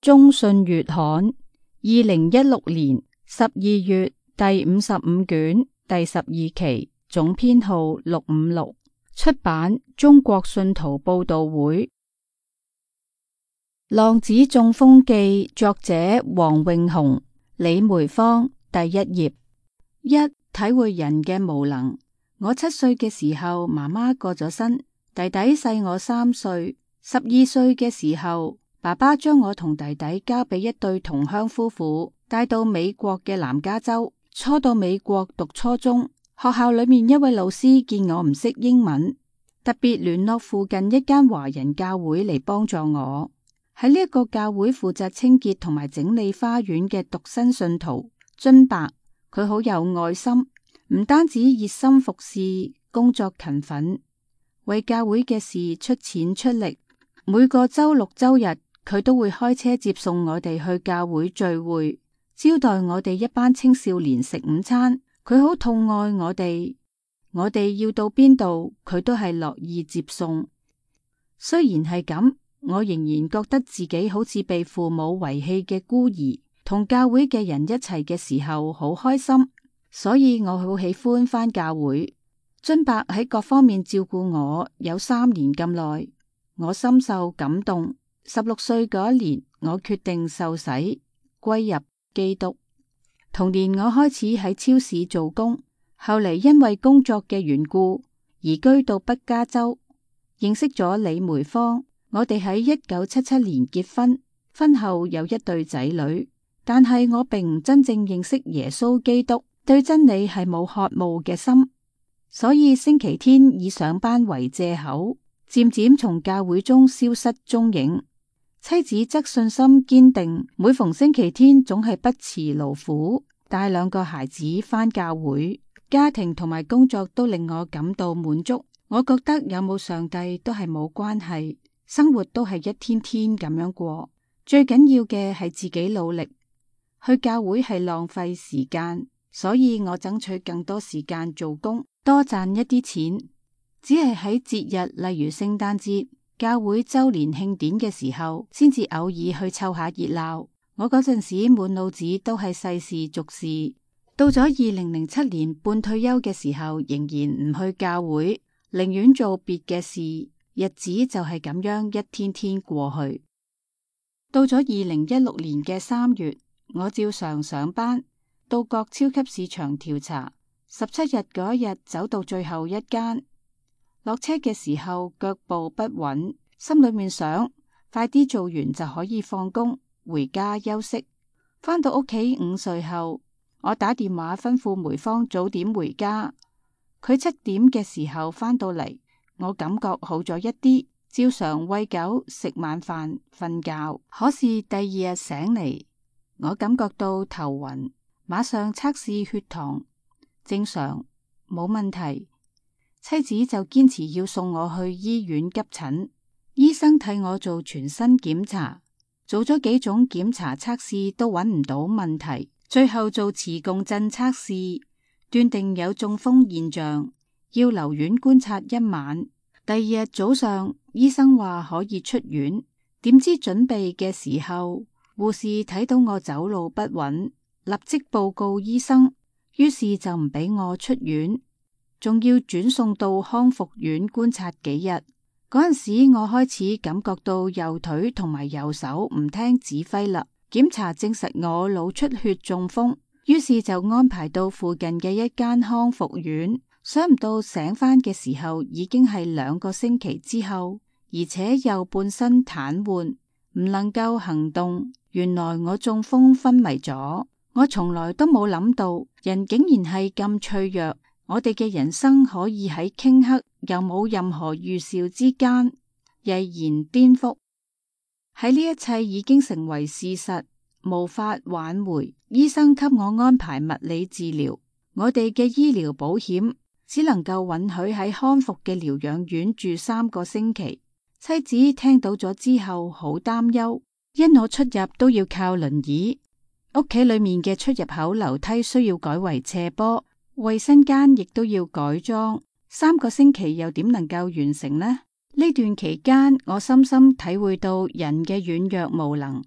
中信月刊2016年12月第55卷第12期，總編號656，出版中國信徒報道會。浪子中風記，作者黃永雄、李梅芳。第一頁。一、體會人嘅無能。我7歲嘅時候，媽媽過咗身，弟弟細我3歲。12歲嘅時候，爸爸將我同弟弟交俾一對同鄉夫婦，帶到美國嘅南加州。初到美國讀初中，學校裏面一位老師見我唔識英文，特別聯絡附近一間華人教會嚟幫助我。喺呢一個教會負責清潔同埋整理花園嘅獨身信徒津伯，佢好有愛心，唔單止熱心服侍，工作勤奮，為教會嘅事出錢出力。每個周六周日，佢都會開車接送我哋去教會聚會，招待我哋一班青少年食午餐。佢好痛愛我哋要到邊度，佢都係樂意接送。雖然係咁，我仍然覺得自己好似被父母遺棄嘅孤兒，同教會嘅人一齊嘅時候好開心，所以我好喜歡返教會。津伯喺各方面照顧我有3年咁耐，我深受感動。16歲嗰一年，我決定受洗歸入基督。同年我開始喺超市做工，後嚟因為工作嘅緣故移居到北加州，認識咗李梅芳。我哋喺1977年結婚，婚後有一對仔女。但係我並唔真正認識耶穌基督，對真理係冇渴慕嘅心，所以星期天以上班為借口，漸漸從教會中消失蹤影。妻子則信心堅定，每逢星期天總係不辭勞苦，帶2個孩子返教會。家庭同埋工作都令我感到滿足。我覺得有冇上帝都係冇關係，生活都係一天天咁樣過。最緊要嘅係自己努力。去教會係浪費時間，所以我爭取更多時間做工，多賺一啲錢。只係喺節日，例如聖誕節、教會周年慶典嘅時候，先至偶爾去湊下熱鬧。我嗰陣時滿腦子都係世事俗事。到咗2007年半退休嘅時候，仍然唔去教會，寧願做別嘅事。日子就係咁樣一天天過去。到咗2016年嘅3月，我照常上班，到各超級市場調查。17日嗰一日走到最後一間，落車嘅時候腳步不穩，心裏面想快啲做完就可以放工回家休息。返到屋企午睡後，我打電話吩咐梅芳早點回家。佢7點嘅時候返到嚟，我感覺好咗一啲，照常餵狗、食晚飯、瞓覺。可是第2日醒嚟，我感覺到頭暈，馬上測試血糖，正常，冇問題。妻子就堅持要送我去醫院急診。醫生替我做全身檢查，做咗幾種檢查測試都揾唔到問題，最後做磁共振測試，斷定有中風現象，要留院觀察1晚。第2日早上，醫生話可以出院，點知準備嘅時候，護士睇到我走路不穩，立即報告醫生，於是就唔俾我出院，仲要轉送到康復院觀察幾日。嗰陣時我開始感覺到右腿同埋右手唔聽指揮啦。檢查證實我腦出血中風，於是就安排到附近嘅一間康復院。想唔到醒返嘅時候已經係2個星期之後，而且右半身癱瘓，唔能夠行動。原來我中風昏迷咗。我從來都冇諗到人竟然係咁脆弱。我哋嘅人生可以喺頃刻又冇任何預兆之間毅然顛覆。喺呢一切已經成為事實，無法挽回。醫生給我安排物理治療，我哋嘅醫療保險只能夠允許喺康復嘅療養院住3個星期。妻子聽到咗之後好擔憂，因我出入都要靠輪椅，屋企裏面嘅出入口樓梯需要改為斜坡，衛生間亦都要改裝。3個星期又點能夠完成呢？呢段期間，我深深體會到人嘅軟弱無能。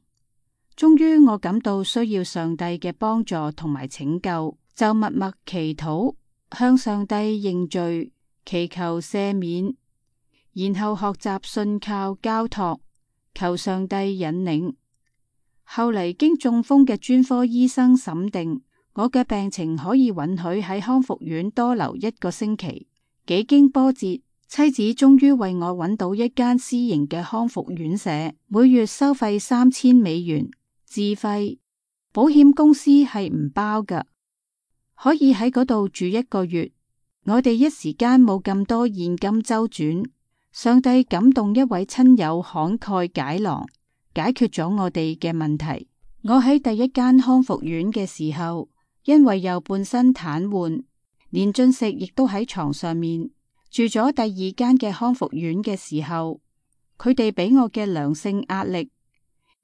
終於我感到需要上帝嘅幫助同埋拯救，就默默祈禱，向上帝認罪，祈求赦免，然後學習信靠交託，求上帝引領。後嚟經中風嘅專科醫生審定，我嘅病情可以允許喺康復院多留1個星期。幾經波折，妻子終於為我揾到一間私營嘅康復院舍，每月收費$3000，自費，保險公司係唔包㗎，可以喺嗰度住1個月。我哋一時間冇咁多現金周轉，上帝感動一位親友慷慨解囊，解決咗我哋嘅問題。我喺第一間康復院嘅時候，因為右半身癱瘓，連進食亦都喺床上面。住咗第二間嘅康復院嘅時候，佢哋俾我嘅良性壓力，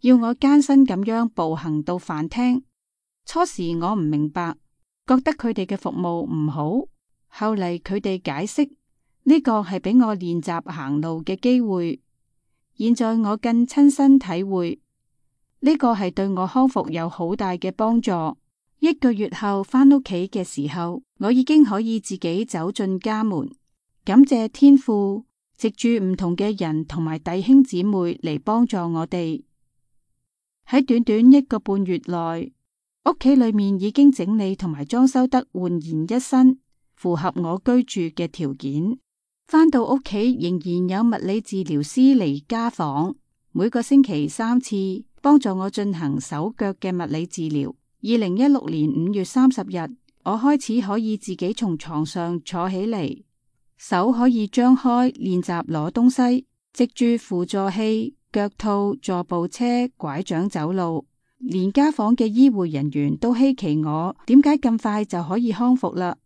要我艱辛咁樣步行到飯廳。初時我唔明白，覺得佢哋嘅服務唔好。後嚟佢哋解釋，呢個係俾我練習行路嘅機會。現在我更親身體會，呢個係對我康復有好大嘅幫助。1個月後返屋企嘅時候，我已經可以自己走進家門。感謝天父，藉住唔同嘅人同埋弟兄姊妹嚟幫助我哋。喺短短1個半月內，屋企裏面已經整理同埋裝修得煥然一新，符合我居住嘅條件。返到屋企仍然有物理治療師嚟家訪，每個星期3次，幫助我進行手腳嘅物理治療。2016年5月30日，我開始可以自己從床上坐起嚟。手可以張開練習攞東西，藉住輔助器、腳套、助步車、拐杖走路。連家訪嘅醫護人員都稀奇我點解咁快就可以康復啦。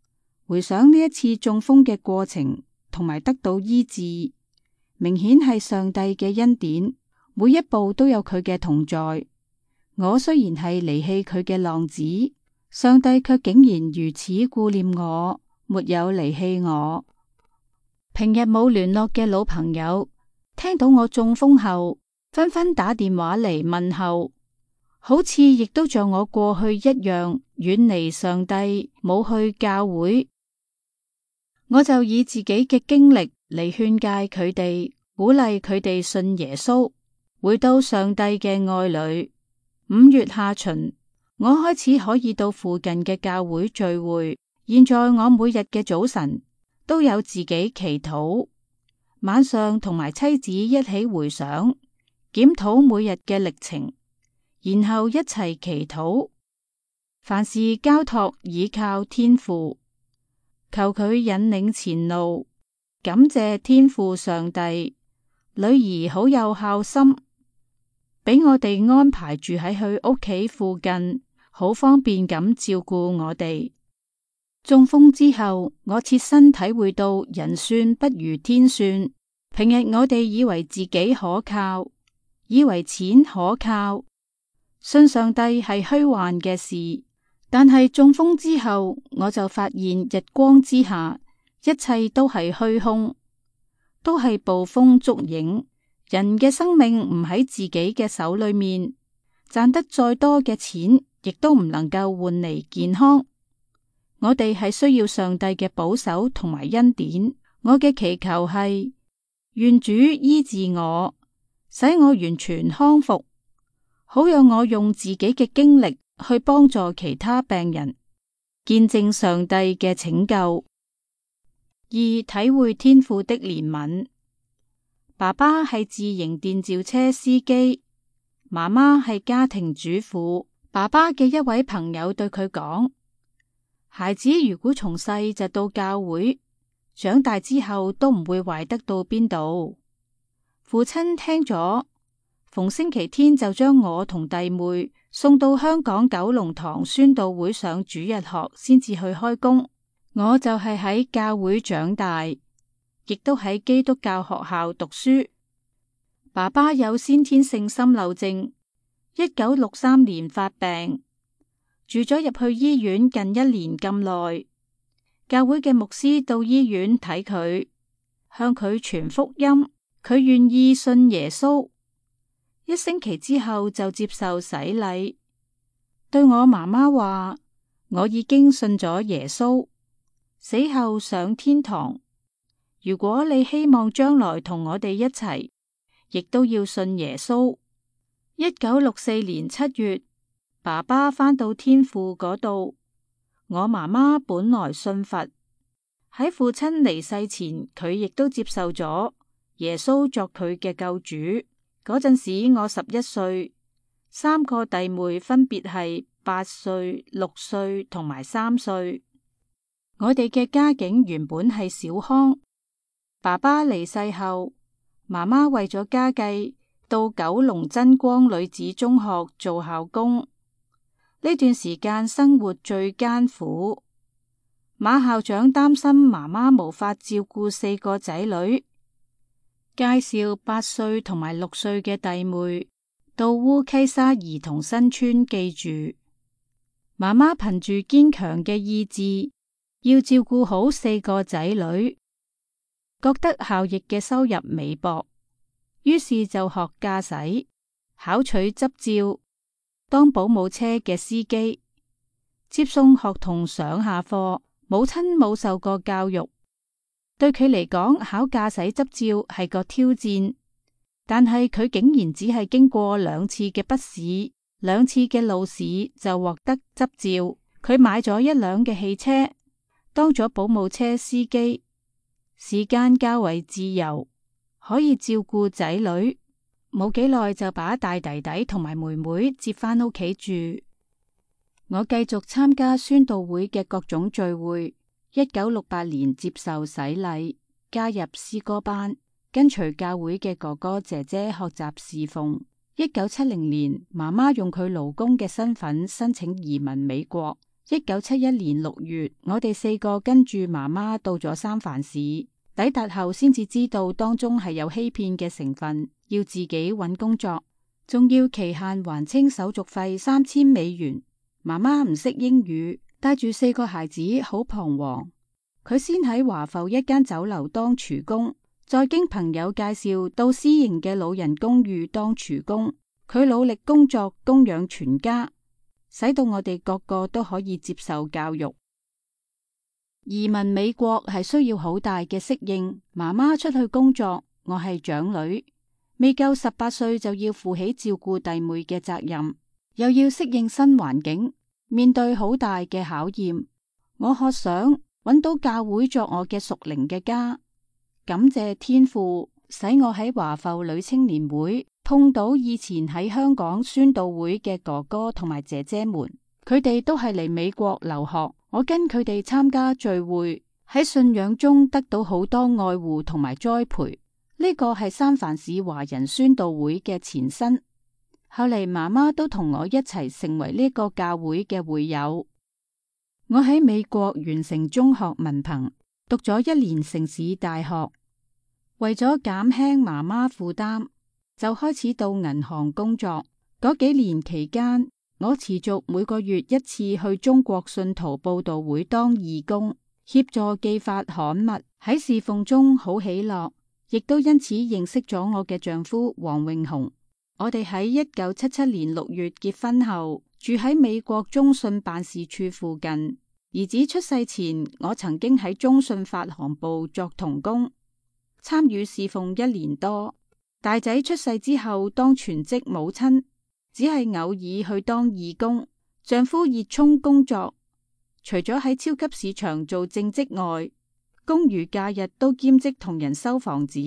回想呢一次中風嘅過程同埋得到醫治，明顯係上帝嘅恩典，每一步都有佢嘅同在。我雖然係離棄佢嘅浪子，上帝卻竟然如此顧念我，沒有離棄我。平日冇聯絡嘅老朋友，聽到我中風後，紛紛打電話嚟問候，好似亦都像我過去一樣遠離上帝，冇去教會。我就以自己嘅經歷嚟勸誡佢哋，鼓勵佢哋信耶穌，回到上帝嘅愛裏。5月下旬，我開始可以到附近嘅教會聚會。現在我每日嘅早晨都有自己祈禱，晚上同埋妻子一起回想檢討每日嘅歷程，然後一齊祈禱，凡事交託倚靠天父，求佢引領前路。感謝天父上帝，女兒好有孝心，俾我哋安排住喺佢屋企附近，好方便咁照顧我哋。中風之後，我切身體會到人算不如天算。平日我哋以為自己可靠，以為錢可靠，信上帝係虛幻嘅事。但係中風之後，我就發現日光之下，一切都係虛空，都係捕風捉影。人嘅生命唔喺自己嘅手裏面，賺得再多嘅錢，亦都唔能夠換嚟健康。我哋係需要上帝嘅保守同埋恩典。我嘅祈求係，願主醫治我，使我完全康復，好讓我用自己嘅經歷去幫助其他病人，見證上帝嘅拯救。2、體會天父的憐憫。爸爸係自營電召車司機，媽媽係家庭主婦。爸爸嘅一位朋友對佢講，孩子如果從細就到教會，長大之後都唔會壞得到邊度。父親聽咗，逢星期天就將我同弟妹送到香港九龍塘宣道會上主日學，先至去開工。我就係喺教會長大，亦都喺基督教學校讀書。爸爸有先天性心漏症，1963年發病，住咗入去醫院近1年咁耐。教會嘅牧師到醫院睇佢，向佢傳福音，佢願意信耶穌。1星期之後就接受洗禮。對我媽媽話，我已經信咗耶穌，死後上天堂。如果你希望將來同我哋一齊，亦都要信耶穌。1964年7月，爸爸返到天父嗰度。我媽媽本來信佛，喺父親離世前，佢亦都接受咗耶穌作佢嘅救主。嗰陣時我11歲，3個弟妹分別係8歲、6歲同埋3歲。我哋嘅家境原本係小康。爸爸離世後，媽媽為咗家計，到九龍真光女子中學做校工。呢段時間生活最艱苦。馬校長擔心媽媽無法照顧4個仔女，介紹8歲同埋6歲嘅弟妹到烏溪沙兒童新村寄住。媽媽憑住堅強嘅意志，要照顧好4個仔女，覺得校役嘅收入微薄，於是就學駕駛，考取執照，當保姆車嘅司機，接送學童上下課。母親冇受過教育，對佢嚟講，考駕駛執照係個挑戰，但係佢竟然只係經過2次嘅筆試、2次嘅路試就獲得執照。佢買咗1輛嘅汽車，當咗保姆車司機，時間較為自由，可以照顧仔女。冇幾耐就把大弟弟同埋妹妹接返屋企住。我繼續參加宣道會嘅各種聚會。1968年接受洗禮，加入詩歌班，跟隨教會嘅哥哥姐姐學習侍奉。1970年，媽媽用佢勞工嘅身份申請移民美國。1971年6月，我哋4個跟住媽媽到咗三藩市，抵達後先至知道當中係有欺騙嘅成分，要自己揾工作，仲要期限還清手續費$3000。媽媽唔識英語，帶住4個孩子好彷徨。佢先喺華埠一間酒樓當廚工，再經朋友介紹到私營嘅老人公寓當廚工。佢努力工作，供養全家，使到我哋個個都可以接受教育。移民美國係需要好大嘅適應。媽媽出去工作，我係長女，未夠18歲就要負起照顧弟妹嘅責任，又要適應新環境，面對好大嘅考驗。我渴想揾到教會作我嘅屬靈嘅家，感謝天父使我喺華埠女青年會碰到以前喺香港宣道會嘅哥哥同埋姐姐們，佢哋都係嚟美國留學。我跟佢哋參加聚會，喺信仰中得到好多愛護同埋栽培。呢個係三藩市華人宣道會嘅前身。後嚟媽媽都同我一齊成為呢個教會嘅會友。我喺美國完成中學文憑，讀咗1年城市大學。為咗減輕媽媽負擔，就開始到銀行工作。嗰幾年期間，我持續每個月1次去中國信徒佈道會當義工，協助寄發刊物。喺侍奉中好喜樂，亦都因此認識咗我嘅丈夫黃永雄。我哋喺1977年6月結婚後，住喺美國中信辦事處附近。兒子出世前，我曾經喺中信發行部作同工，參與侍奉1年多。大仔出世之後，當全職母親，只係偶爾去當義工。丈夫熱衷工作，除咗喺超級市場做正職外，公餘假日都兼職同人收房子、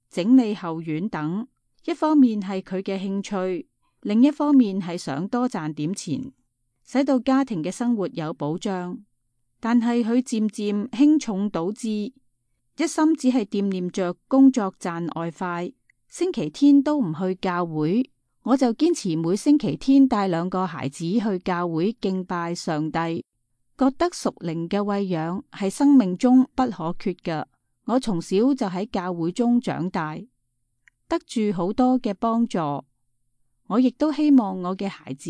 整理後院等。一方面係佢嘅興趣，另一方面係想多賺點錢，使到家庭嘅生活有保障。但係佢漸漸輕重倒置，一心只係惦念着工作賺外快，星期天都唔去教會。我就堅持每星期天帶2個孩子去教會敬拜上帝，覺得屬靈嘅餵養係生命中不可缺嘅。我從小就喺教會中長大，得住好多嘅幫助。我亦都希望我嘅孩子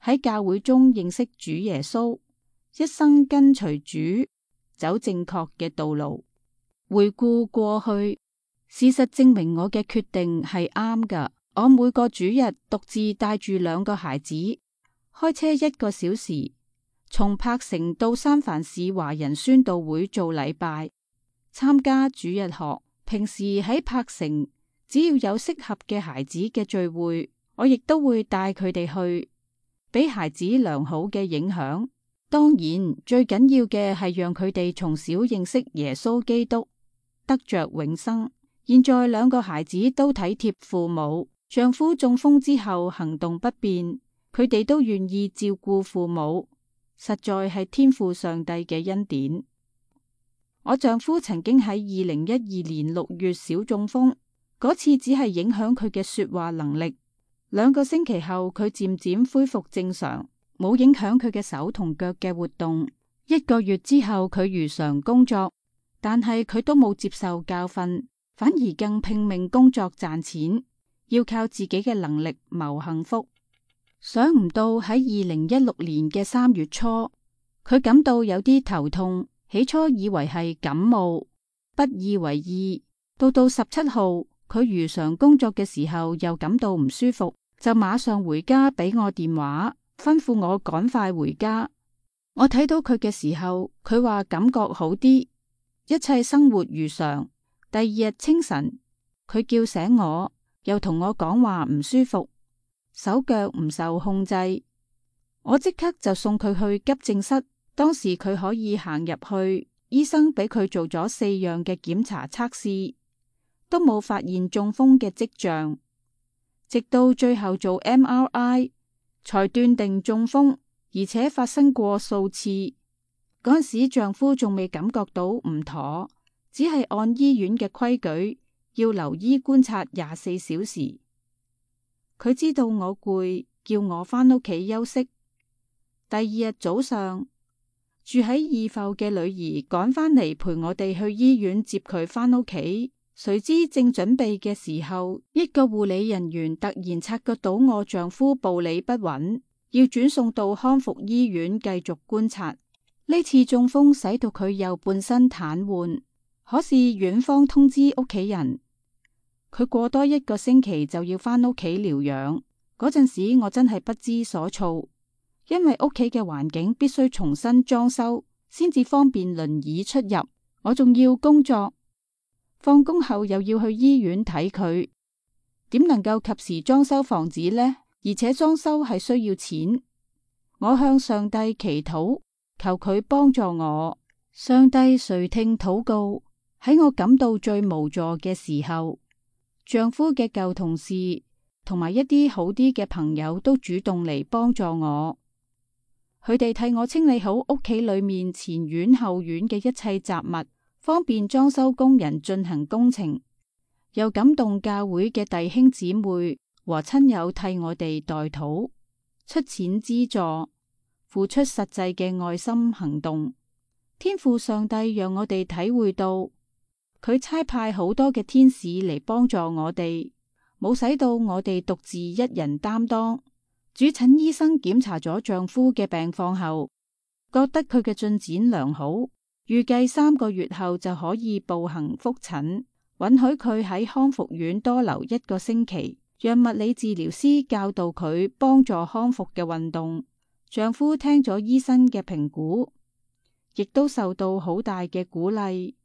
喺教會中認識主耶穌，一生跟隨主，走正確嘅道路。回顧過去，事實證明我嘅決定係啱㗎。我每個主日獨自帶住2個孩子，開車1個小時，從柏城到三藩市華人宣道會做禮拜，參加主日學。平時喺柏城，只要有適合嘅孩子嘅聚會，我亦都會帶佢哋去，俾孩子良好嘅影響。當然，最緊要嘅係讓佢哋從小認識耶穌基督，得着永生。現在2個孩子都體貼父母，丈夫中風之後行動不便，佢哋都願意照顧父母，實在係天父上帝嘅恩典。我丈夫曾經喺2012年6月小中風，嗰次只係影響佢嘅說話能力。2個星期後，佢漸漸恢復正常，冇影響佢嘅手同腳嘅活動。1個月之後，佢如常工作，但係佢都冇接受教訓，反而更拼命工作賺錢，要靠自己嘅能力謀幸福。想唔到喺2016年嘅3月初，佢感到有啲頭痛，起初以為係感冒，不以為意。到17號，佢如常工作嘅時候又感到唔舒服，就馬上回家俾我電話，吩咐我趕快回家。我睇到佢嘅時候，佢話感覺好啲，一切生活如常。第2日清晨，佢叫醒我，又同我講話唔舒服，手腳唔受控制。我即刻就送佢去急症室。當時佢可以行入去，醫生俾佢做咗4樣嘅檢查測試，都冇發現中風嘅跡象。直到最後做 MRI 才斷定中風，而且發生過數次。嗰陣時丈夫仲未感覺到唔妥，只係按醫院嘅規矩要留醫觀察24小時。佢知道我攰，叫我返屋企休息。第2日早上，住喺義埠嘅女兒趕返嚟陪我哋去醫院接佢返屋企，誰知正準備嘅時候，一個護理人員突然察覺到我丈夫步履不穩，要轉送到康復醫院繼續觀察。呢次中風使到佢右半身癱瘓，可是院方通知屋企人，佢過多1個星期就要返屋企療養。嗰陣時我真係不知所措。因為屋企嘅環境必須重新裝修，先至方便輪椅出入。我仲要工作，放工後又要去醫院睇佢，點能夠及時裝修房子呢？而且裝修係需要錢。我向上帝祈禱，求佢幫助我。上帝垂聽禱告。喺我感到最無助嘅時候，丈夫嘅舊同事同埋一啲好啲嘅朋友都主動嚟幫助我。佢哋替我清理好屋企裏面前院後院嘅一切雜物，方便裝修工人進行工程。又感動教會嘅弟兄姊妹和親友替我哋代禱，出錢資助，付出實際嘅愛心行動。天父上帝讓我哋體會到，佢差派好多嘅天使嚟幫助我哋，冇使到我哋獨自一人擔當。主診醫生檢查咗丈夫嘅病況後，覺得佢嘅進展良好，預計3個月後就可以步行復診，允許佢喺康復院多留1個星期，讓物理治療師教導佢幫助康復嘅運動。丈夫聽咗醫生嘅評估，亦都受到好大嘅鼓勵，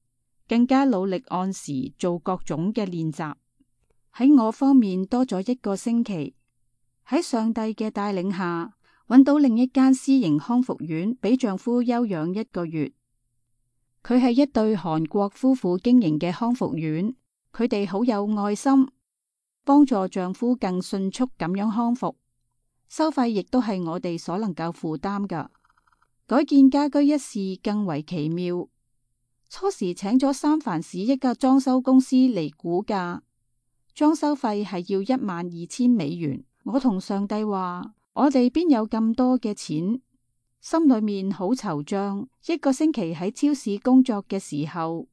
更加努力按時做各種嘅練習。喺我方面多咗1個星期。喺上帝嘅帶領下，揾到另一間私營康復院，俾丈夫休養1個月。佢係一對韓國夫婦經營嘅康復院，佢哋好有愛心，幫助丈夫更迅速咁樣康復。收費亦都係我哋所能夠負擔㗎。改建家居一事更為奇妙。初時請咗三藩市一家裝修公司嚟估價，裝修費係要$12,000。我同上帝話，我哋邊有咁多嘅錢，心裏面好惆悵。1個星期喺超市工作嘅時候，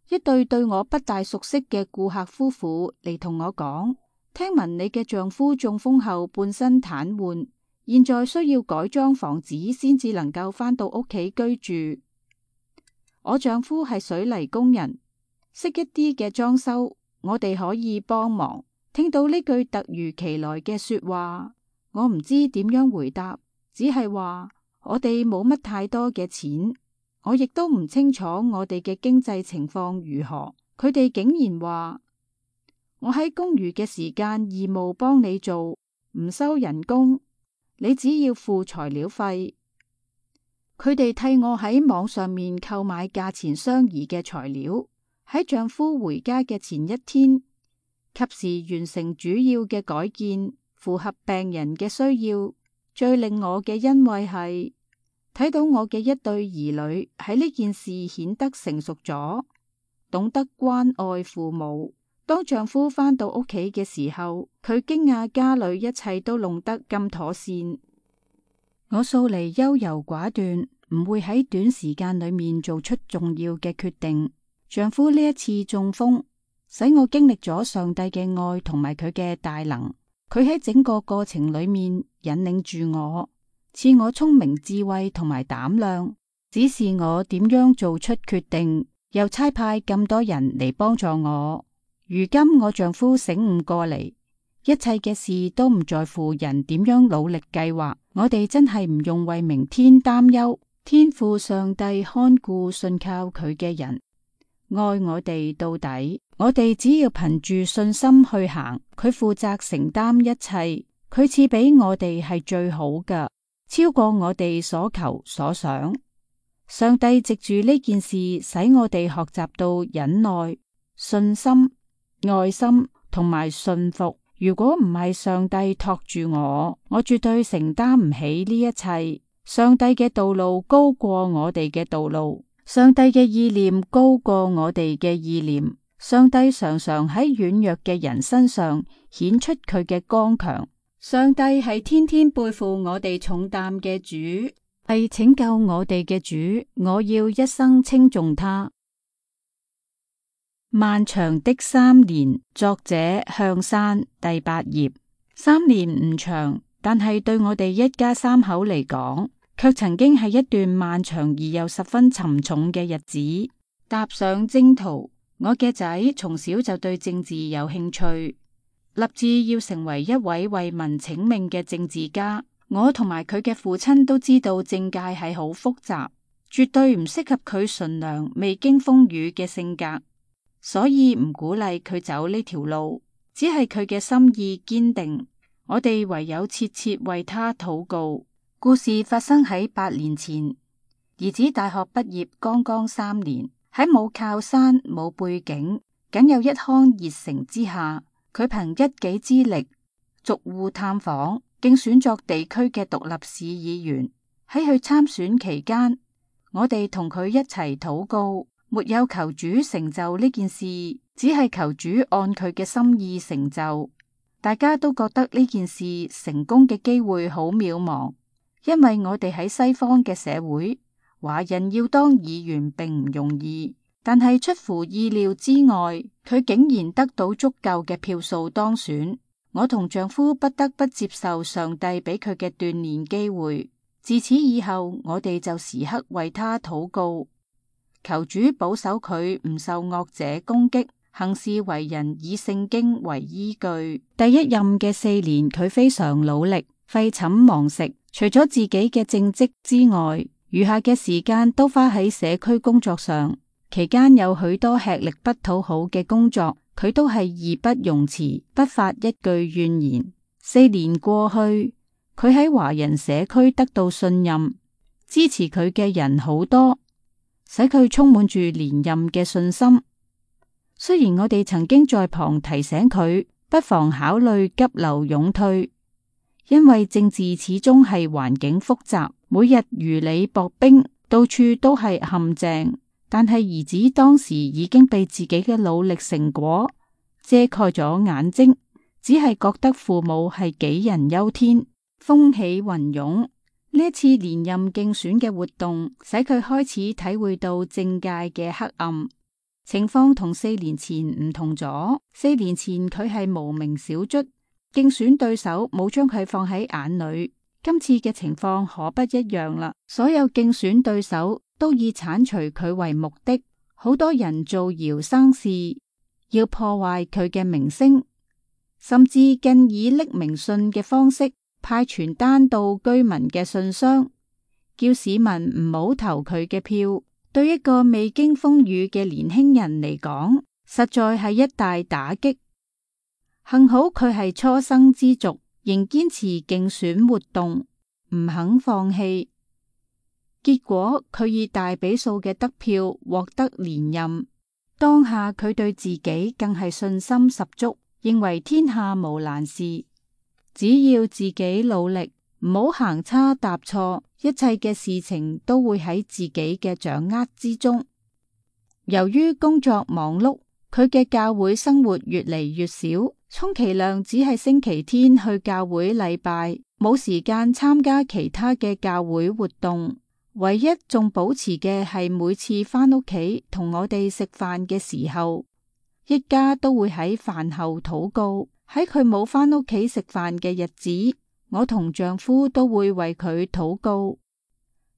一對我不大熟悉嘅顧客夫婦嚟同我講，聽聞你嘅丈夫中風後半身癱瘓，現在需要改裝房子先至能夠返到屋企居住。我丈夫係水泥工人，識一啲嘅裝修，我哋可以幫忙。聽到呢句突如其來嘅說話，我唔知點樣回答，只係話我哋冇乜太多嘅錢，我亦都唔清楚我哋嘅經濟情況如何。佢哋竟然話，我喺公餘嘅時間義務幫你做，唔收人工，你只要付材料費。佢哋替我喺網上面購買價錢相宜嘅材料，喺丈夫回家嘅前一天，及時完成主要嘅改建，符合病人嘅需要。最令我嘅欣慰係睇到我嘅一對兒女喺呢件事顯得成熟咗，懂得關愛父母。當丈夫返到屋企嘅時候，佢驚訝家裏一切都弄得咁妥善。我素嚟優柔寡斷，唔會喺短時間裏面做出重要嘅決定。丈夫呢一次中風，使我經歷咗上帝嘅愛同埋佢嘅大能。佢喺整個過程裏面引領住我，賜我聰明智慧同埋膽量，指示我點樣做出決定，又差派咁多人嚟幫助我。如今我丈夫醒悟過嚟，一切嘅事都唔在乎人點樣努力計劃，我哋真係唔用為明天擔憂。天父上帝看顧信靠佢嘅人，愛我哋到底。我哋只要憑住信心去行，佢負責承擔一切，佢賜俾我哋係最好嘅，超過我哋所求所想。上帝藉住呢件事，使我哋學習到忍耐、信心、愛心同埋信服。如果唔係上帝托住我絕對承擔唔起呢一切。上帝嘅道路高過我哋嘅道路，上帝嘅意念高過我哋嘅意念。上帝常常喺軟弱嘅人身上顯出佢嘅剛強。上帝係天天背負我哋重擔嘅主，係拯救我哋嘅主。我要一生稱頌他。漫長的3年，作者向山，第8頁。3年唔長，但係對我哋一家3口嚟講，卻曾經係一段漫長而又十分沉重嘅日子。踏上征途，我嘅仔從小就對政治有興趣，立志要成為一位為民請命嘅政治家。我同埋佢嘅父親都知道政界係好複雜，絕對唔適合佢純良未經風雨嘅性格，所以唔鼓勵佢走呢條路。只係佢嘅心意堅定，我哋唯有切切為他禱告。故事發生喺8年前，兒子大學畢業剛剛3年，喺冇靠山冇背景，僅有一腔熱誠之下，佢憑一己之力逐戶探訪，競選作地區嘅獨立市議員。喺佢參選期間，我哋同佢一齊禱告，沒有求主成就呢件事，只係求主按佢嘅心意成就。大家都覺得呢件事成功嘅機會好渺茫。因為我哋喺西方嘅社會，華人要當議員並唔容易，但係出乎意料之外，佢竟然得到足夠嘅票數當選。我同丈夫不得不接受上帝俾佢嘅鍛煉機會。自此以後，我哋就時刻為他禱告，求主保守佢唔受惡者攻擊，行事為人以聖經為依據。第一任嘅4年，佢非常努力，廢寢忘食。除咗自己嘅正職之外，餘下嘅時間都花喺社區工作上。期間有許多吃力不討好嘅工作，佢都係義不容辭，不發一句怨言。4年過去，佢喺華人社區得到信任，支持佢嘅人好多，使佢充滿住連任嘅信心。雖然我哋曾經在旁提醒佢，不妨考慮急流勇退。因為政治始終係環境複雜，每日如履薄冰，到處都係陷阱。但係兒子當時已經被自己嘅努力成果遮蓋咗眼睛，只係覺得父母係杞人憂天。風起雲湧，呢一次連任競選嘅活動，使佢開始體會到政界嘅黑暗。情況同4年前唔同咗。4年前佢係無名小卒，競選對手冇將佢放喺眼裏，今次嘅情況可不一樣啦。所有競選對手都以鏟除佢為目的，好多人造謠生事，要破壞佢嘅名聲。甚至更以匿名信嘅方式派傳單到居民嘅信箱，叫市民唔好投佢嘅票。對一個未經風雨嘅年輕人嚟講，實在係一大打擊。幸好佢係初生之犢，仍堅持競選活動，唔肯放棄。結果佢以大比數嘅得票獲得連任。當下佢對自己更係信心十足，認為天下無難事，只要自己努力，唔好行差踏錯，一切嘅事情都會喺自己嘅掌握之中。由於工作忙碌，佢嘅教會生活越嚟越少，充其量只係星期天去教會禮拜，冇時間參加其他嘅教會活動。唯一仲保持嘅係每次返屋企同我哋食飯嘅時候，一家都會喺飯後禱告。喺佢冇返屋企食飯嘅日子，我同丈夫都會為佢禱告，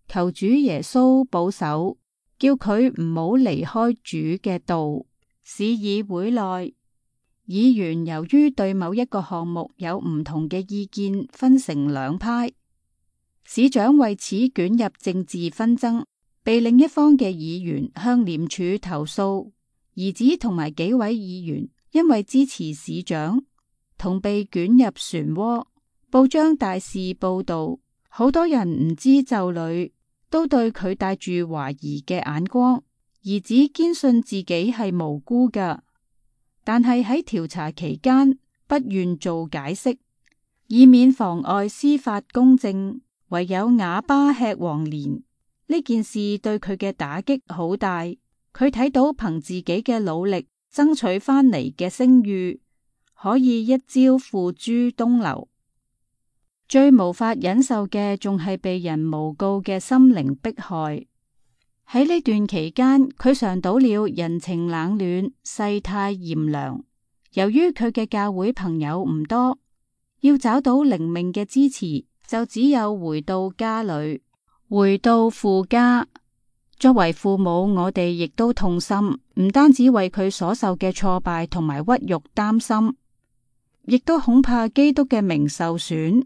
求主耶穌保守，叫佢唔好離開主嘅道。市議會內，議員由於對某一個項目有唔同嘅意見，分成兩派。市長為此捲入政治紛爭，被另一方嘅議員向廉署投訴。兒子同埋幾位議員因為支持市長，同被捲入漩渦。報章大肆報道，好多人唔知就裏，都對佢帶住懷疑嘅眼光。兒子堅信自己係無辜㗎，但係喺調查期間不願做解釋，以免妨礙司法公正。唯有啞巴吃黃連，呢件事對佢嘅打擊好大。佢睇到憑自己嘅努力爭取翻嚟嘅聲譽，可以一朝付諸東流。最無法忍受嘅仲係被人誣告嘅心靈迫害。喺呢段期間，佢嘗到了人情冷暖、世態炎涼。由於佢嘅教會朋友唔多，要找到靈命嘅支持，就只有回到家裏，回到父家。作為父母，我哋亦都痛心，唔單止為佢所受嘅挫敗同埋屈辱擔心，亦都恐怕基督嘅名受損，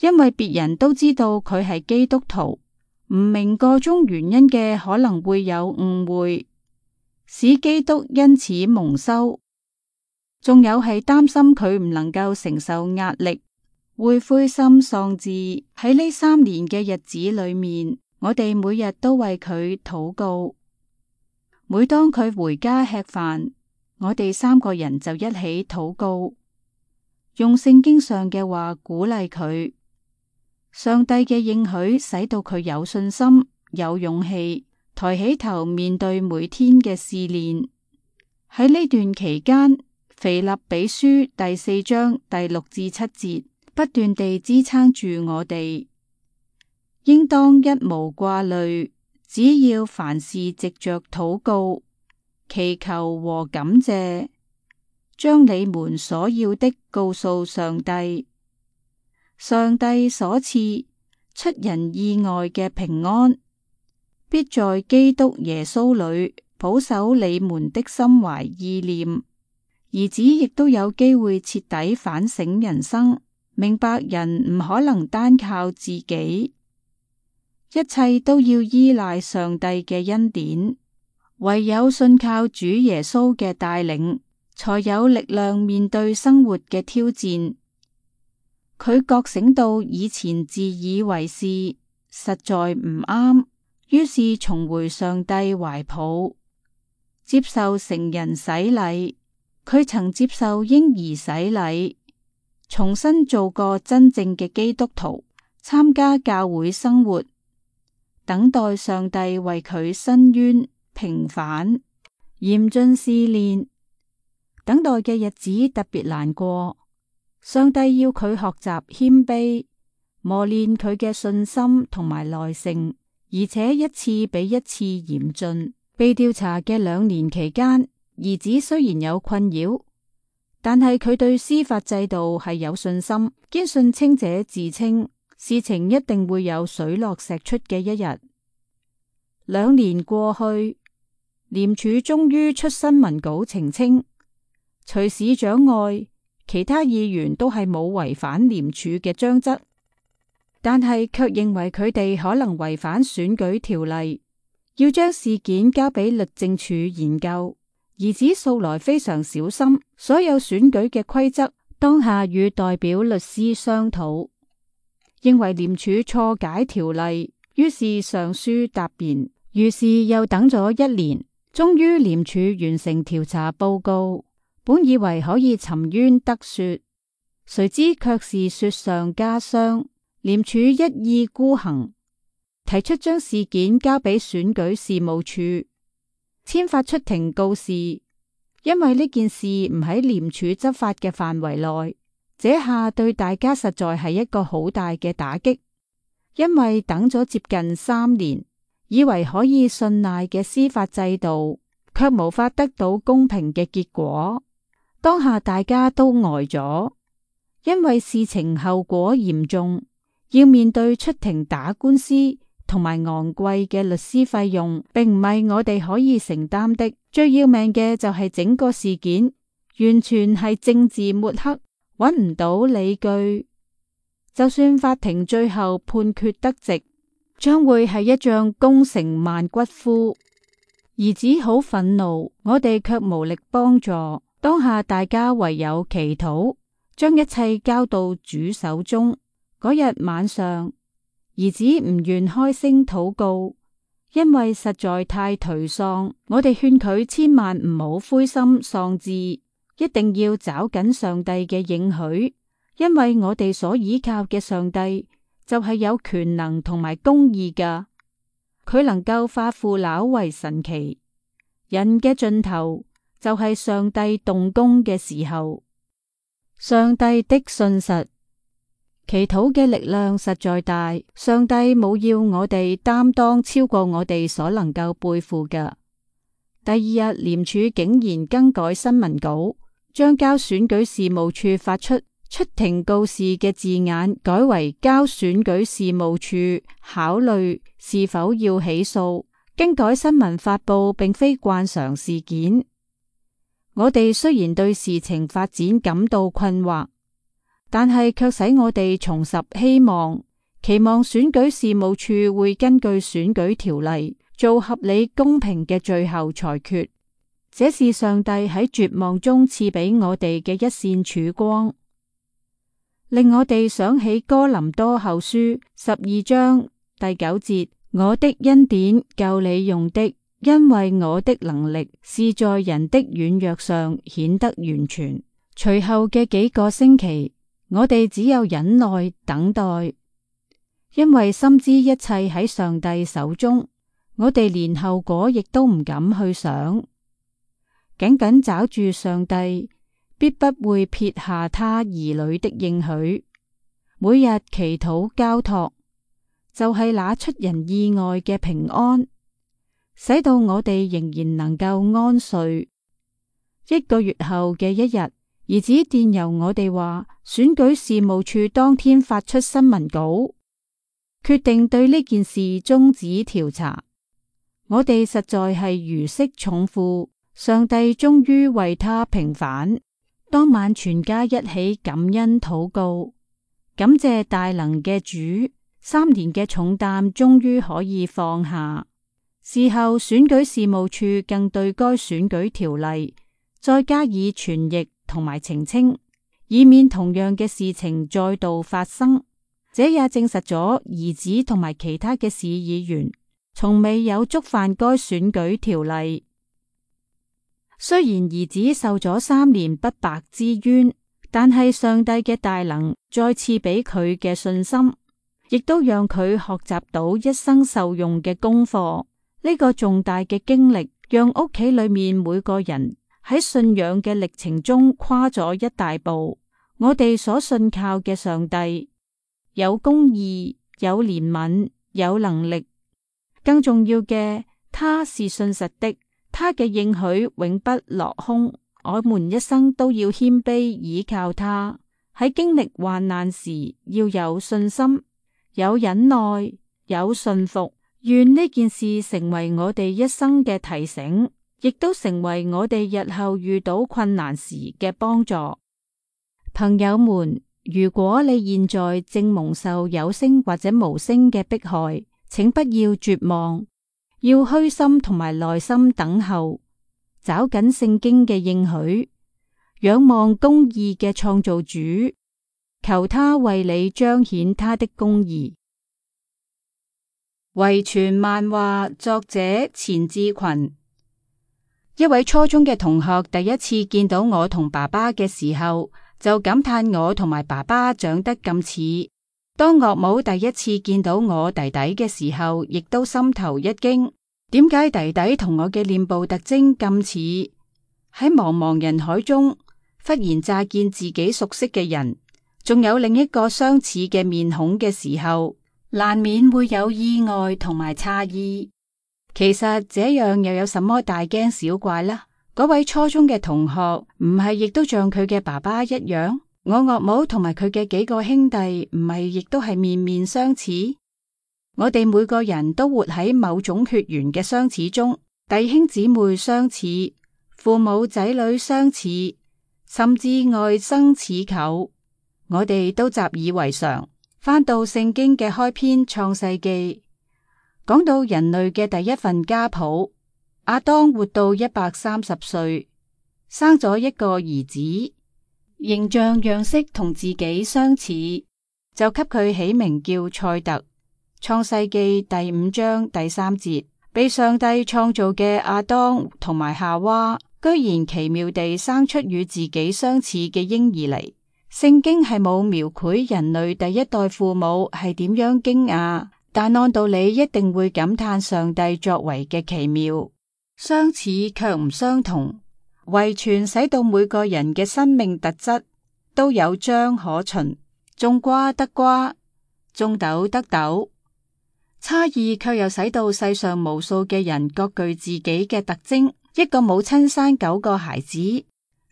因為別人都知道佢係基督徒，唔明個中原因嘅可能會有誤會，使基督因此蒙羞。仲有係擔心佢唔能夠承受壓力，會灰心喪志。喺呢3年嘅日子裏面，我哋每日都為佢禱告。每當佢回家吃飯，我哋3個人就一起禱告，用聖經上嘅話鼓勵佢。上帝嘅應許使到佢有信心、有勇氣，抬起頭面對每天嘅試煉。喺呢段期間，腓立比書第4章第6至7節不斷地支撐住我哋，應當一無掛慮，只要凡事藉着禱告、祈求和感謝，將你們所要的告訴上帝。上帝所賜出人意外嘅平安，必在基督耶穌裏保守你們的心懷意念。兒子亦都有機會徹底反省人生，明白人唔可能單靠自己，一切都要依賴上帝嘅恩典，唯有信靠主耶穌嘅帶領，才有力量面對生活嘅挑戰。佢覺醒到以前自以為是，實在唔啱，於是重回上帝懷抱，接受成人洗禮。佢曾接受嬰兒洗禮，重新做個真正嘅基督徒，參加教會生活，等待上帝為佢伸冤平反。嚴峻試煉，等待嘅日子特別難過。上帝要佢學習謙卑，磨練佢嘅信心同埋耐性，而且一次比一次嚴峻。被調查嘅2年期間，兒子雖然有困擾，但係佢對司法制度係有信心，堅信清者自清，事情一定會有水落石出嘅一日。2年過去，廉署終於出新聞稿澄清，除市長外，其他議員都係冇違反廉署嘅章則，但係卻認為佢哋可能違反選舉條例，要將事件交俾律政處研究。兒子素來非常小心，所有選舉嘅規則當下與代表律師商討，認為廉署錯解條例，於是上書答辯。於是又等咗1年，終於廉署完成調查報告，本以為可以沉冤得雪，誰知卻是雪上加霜。廉署一意孤行，提出將事件交俾選舉事務處，簽發出庭告示。因為呢件事唔喺廉署執法嘅範圍內，這下對大家實在係一個好大嘅打擊。因為等咗接近3年，以為可以信賴嘅司法制度，卻無法得到公平嘅結果。當下大家都呆咗，因為事情後果嚴重，要面對出庭打官司同埋昂貴嘅律師費用，並唔係我哋可以承擔的。最要命嘅就係整個事件完全係政治抹黑，揾唔到理據。就算法庭最後判決得直，將會係一仗功成萬骨枯。兒子好憤怒，我哋卻無力幫助。當下大家唯有祈禱，將一切交到主手中。嗰日晚上，兒子唔願開聲禱告，因為實在太頹喪。我哋勸佢千萬唔好灰心喪志，一定要找緊上帝嘅應許，因為我哋所依靠嘅上帝就係有權能同埋公義㗎，佢能夠化腐朽為神奇。人嘅盡頭就係上帝動工嘅時候。上帝的信實，祈禱嘅力量實在大，上帝冇要我哋擔當超過我哋所能夠背負嘅。第二日，廉署竟然更改新聞稿，將交選舉事務處發出庭告示嘅字眼改為交選舉事務處考慮是否要起訴。更改新聞發佈並非慣常事件。我哋雖然對事情發展感到困惑，但係卻使我哋重拾希望，期望選舉事務處會根據選舉條例做合理公平嘅最後裁決。這是上帝喺絕望中賜俾我哋嘅一線曙光，令我哋想起哥林多後書12章第9節，我的恩典夠你用的，因為我的能力是在人的軟弱上顯得完全。隨後嘅幾個星期，我哋只有忍耐等待，因為深知一切喺上帝手中，我哋連後果亦都唔敢去想。緊緊抓住上帝，必不會撇下他兒女的應許。每日祈禱交託，就係那出人意外嘅平安，使到我哋仍然能夠安睡。1個月後嘅一日，兒子電郵我哋話，選舉事務處當天發出新聞稿，決定對呢件事終止調查。我哋實在係如釋重負，上帝終於為他平反。當晚全家一起感恩禱告，感謝大能嘅主，3年嘅重擔終於可以放下。事後選舉事務處更對該選舉條例再加以傳譯同埋澄清，以免同樣嘅事情再度發生。這也證實咗兒子同埋其他嘅市議員從未有觸犯該選舉條例。雖然兒子受咗3年不白之冤，但係上帝嘅大能再次俾佢嘅信心，亦都讓佢學習到一生受用嘅功課。呢個重大嘅經歷，讓屋企裏面每個人喺信仰嘅歷程中跨咗一大步。我哋所信靠嘅上帝有公義、有憐憫、有能力，更重要嘅，他是信實的，他嘅應許永不落空。我們一生都要謙卑倚靠他，喺經歷患難時要有信心、有忍耐、有信服。願呢件事成為我哋一生嘅提醒，亦都成為我哋日後遇到困難時嘅幫助。朋友們，如果你現在正蒙受有聲或者無聲嘅迫害，請不要絕望，要虛心同埋耐心等候，找緊聖經嘅應許，仰望公義嘅創造主，求他為你彰顯他的公義。遺傳漫畫作者錢志群。一位初中嘅同學第一次見到我同爸爸嘅時候，就感嘆我同埋爸爸長得咁似。當岳母第一次見到我弟弟嘅時候，亦都心頭一驚，點解弟弟同我嘅臉部特徵咁似？喺茫茫人海中，忽然乍見自己熟悉嘅人，仲有另一個相似嘅面孔嘅時候，難免會有意外同埋詫異。其實這樣又有什麼大驚小怪呢？嗰位初中嘅同學唔係亦都像佢嘅爸爸一樣？我岳母同埋佢嘅幾個兄弟唔係亦都係面面相似？我哋每個人都活喺某種血緣嘅相似中，弟兄姊妹相似，父母仔女相似，甚至外甥似舅，我哋都習以為常。翻到聖經嘅開篇創世記，講到人類嘅第一份家譜，亞當活到130歲，生咗一個兒子，形象樣式同自己相似，就給佢起名叫賽特。創世記第5章第3節，被上帝創造嘅亞當同埋夏娃，居然奇妙地生出與自己相似嘅嬰兒嚟。聖經係冇描繪人類第一代父母係點樣驚訝，但按道理一定會感嘆上帝作為嘅奇妙。相似卻唔相同，遺傳使到每個人嘅生命特質都有章可循，種瓜得瓜，種豆得豆。差異卻又使到世上無數嘅人各具自己嘅特徵。一個母親生9個孩子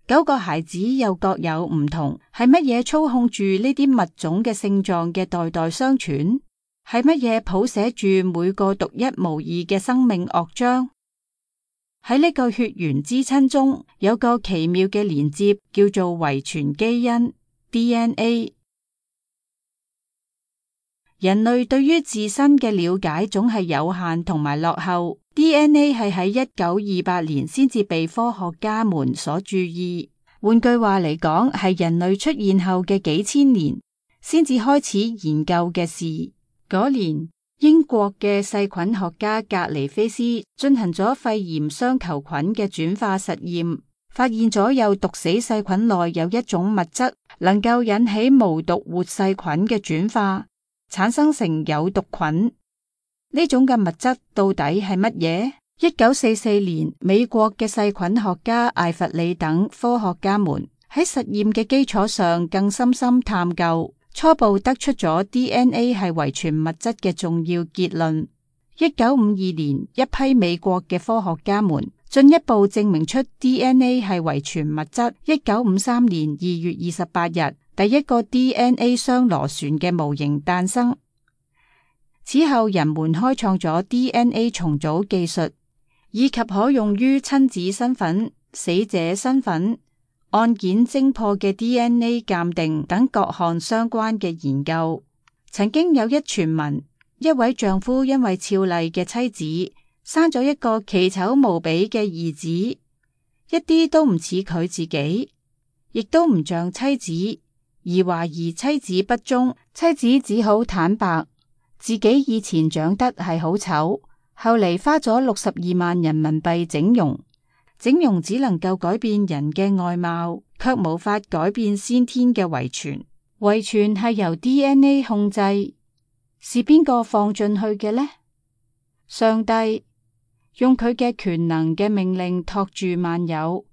，9個孩子又各有唔同，係乜嘢操控住呢啲物種嘅性狀嘅代代相傳？係乜嘢譜寫住每個獨一無二嘅生命樂章？喺呢個血緣之親中，有個奇妙嘅連接，叫做遺傳基因 DNA。人類對於自身嘅了解總係有限同埋落後。DNA 係喺1928年先至被科學家們所注意。換句話嚟講，係人類出現後嘅幾千年先至開始研究嘅事。嗰年，英國嘅細菌學家格尼菲斯進行咗肺炎雙球菌嘅轉化實驗，發現咗有毒死細菌內有一種物質能夠引起無毒活細菌嘅轉化，產生成有毒菌。呢種嘅物質到底係乜嘢？1944年，美國嘅細菌學家艾弗里等科學家們喺實驗嘅基礎上更深深探究，初步得出咗 DNA 係遺傳物質嘅重要結論。1952年，一批美國嘅科學家們進一步證明出 DNA 係遺傳物質。1953年2月28日，第一個 DNA 雙螺旋嘅模型誕生。此後，人們開創咗 DNA 重組技術，以及可用於親子身份、死者身份、案件偵破嘅 DNA 鑑定等各項相關嘅研究。曾經有一傳聞，一位丈夫因為俏麗嘅妻子生咗一個奇醜無比嘅兒子，一啲都唔似佢自己，亦都唔像妻子，而懷疑妻子不忠。妻子只好坦白自己以前長得係好醜，後嚟花咗62萬人民幣整容。整容只能夠改變人嘅外貌，卻無法改變先天嘅遺傳。遺傳係由 DNA 控制，是邊個放進去嘅呢？上帝用佢嘅權能嘅命令托住萬有。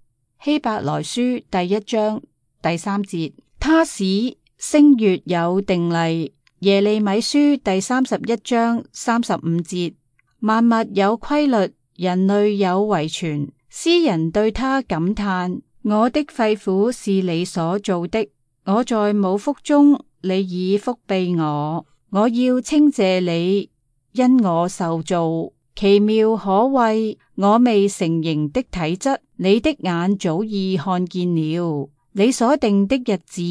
希伯來書第1章第3節，他使星月有定例。耶利米書第31章35節，萬物有規律，人類有遺傳。詩人對他感嘆：我的肺腑是你所造的，我在母腹中，你已覆庇我。我要稱謝你，因我受造奇妙可畏，我未成形的體質，你的眼早已看見了。你所定的日子，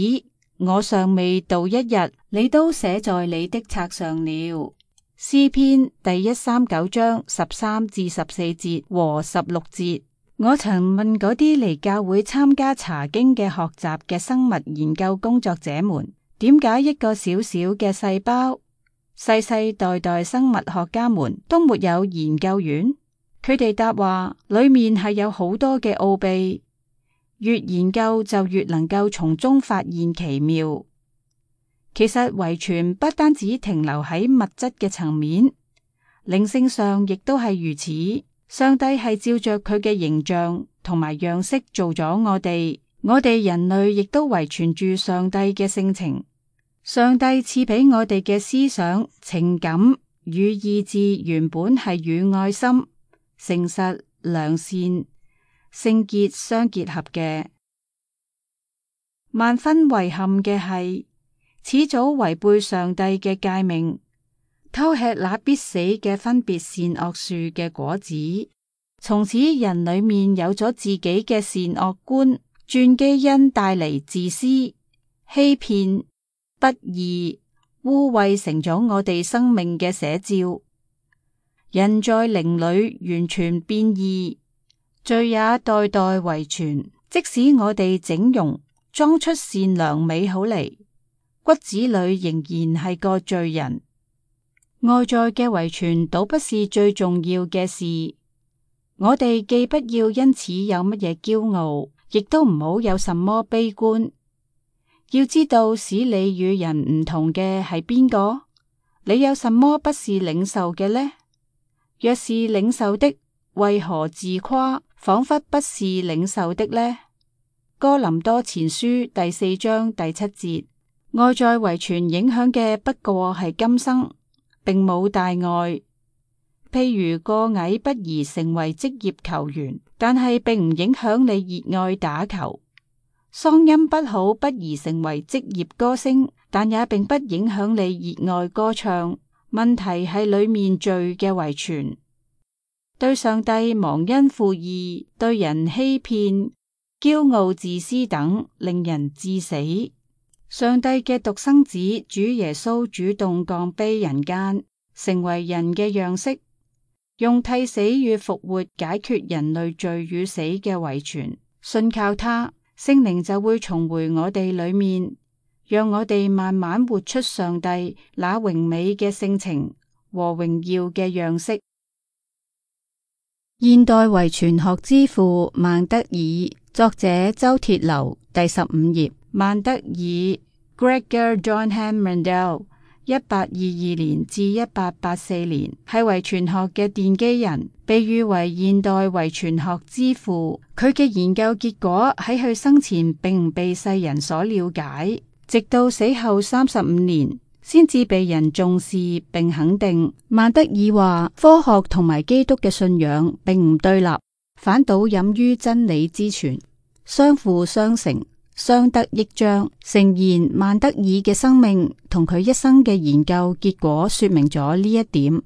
我尚未到一日，你都寫在你的冊上了。詩篇第139章13至14節和16節。我曾問嗰啲嚟教會參加查經嘅學習嘅生物研究工作者們，點解一個小小嘅細胞，世世代代生物學家們都沒有研究院？佢哋答話，裏面係有好多嘅奧秘，越研究就越能夠從中發現奇妙。其實遺傳不單止停留喺物質嘅層面，靈性上亦都係如此。上帝係照着佢嘅形象同埋樣式做咗我哋人類亦都遺傳住上帝嘅性情。上帝賜俾我哋嘅思想、情感與意志原本係與愛心、誠實、良善、聖潔相結合嘅。萬分遺憾嘅係，始祖違背上帝嘅誡命，偷吃那必死嘅分別善惡樹嘅果子，從此人裏面有咗自己嘅善惡觀，轉基因帶嚟自私、欺騙、不義、污穢，成咗我哋生命嘅寫照。人在靈裏完全變異，罪也代代遺傳。即使我哋整容裝出善良美好嚟，骨子裏仍然係個罪人。外在嘅遺傳倒不是最重要嘅事，我哋既不要因此有乜嘢驕傲，亦都唔好有什麼悲觀。要知道使你與人唔同嘅係邊個？你有什麼不是領受嘅呢？若是領受的，為何自誇，仿佛不是領受的呢？哥林多前書第4章第7節。外在遺傳影響嘅不過係今生，並冇大礙。譬如個矮不宜成為職業球員，但係並唔影響你熱愛打球；嗓音不好不宜成為職業歌星，但也並不影響你熱愛歌唱。問題係裏面罪嘅遺傳，對上帝忘恩負義，對人欺騙、驕傲自私等，令人致死。上帝嘅獨生子主耶穌主動降卑人間，成為人嘅樣式，用替死與復活解決人類罪與死嘅遺傳。信靠他，聖靈就會重回我哋裏面，讓我哋慢慢活出上帝那榮美嘅性情和榮耀嘅樣式。現代遺傳學之父孟德爾，作者周鐵樓，第15頁。孟德爾 Gregor Johann Mendel 1822年至1884年係遺傳學嘅奠基人，被譽為現代遺傳學之父。佢嘅研究結果喺佢生前並唔被世人所了解，直到死後35年先至被人重視並肯定。孟德爾話，科學同埋基督嘅信仰並唔對立，反倒飲於真理之泉，相輔相成，相得益彰。誠然，孟德爾嘅生命同佢一生嘅研究結果說明咗呢一點。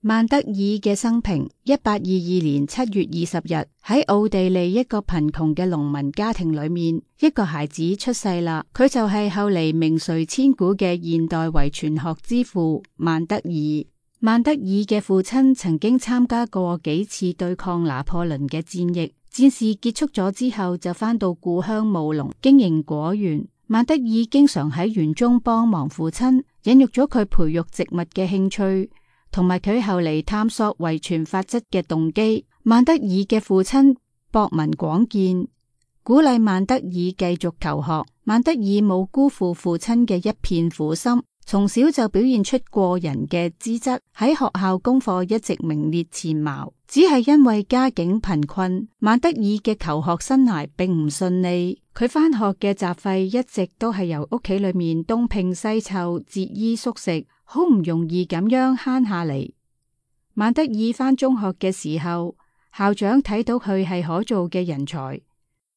孟德爾嘅生平：1822年7月20日，喺奧地利一個貧窮嘅農民家庭裏面，一個孩子出世啦。佢就係後嚟名垂千古嘅現代遺傳學之父孟德爾。孟德爾嘅父親曾經參加過幾次對抗拿破崙嘅戰役，戰事結束咗之後就返到故鄉務農，經營果園。孟德爾經常喺園中幫忙父親，引育咗佢培育植物嘅興趣，同埋佢後嚟探索遺傳法則嘅動機。孟德爾嘅父親博聞廣見，鼓勵孟德爾繼續求學。孟德爾冇辜負父親嘅一片苦心，從小就表現出過人嘅資質，喺學校功課一直名列前茅。只係因為家境貧困，孟德爾嘅求學生涯並唔順利。佢返學嘅雜費一直都係由屋企裏面東拼西湊、節衣縮食，好唔容易咁樣慳下嚟。孟德爾返中學嘅時候，校長睇到佢係可造嘅人才，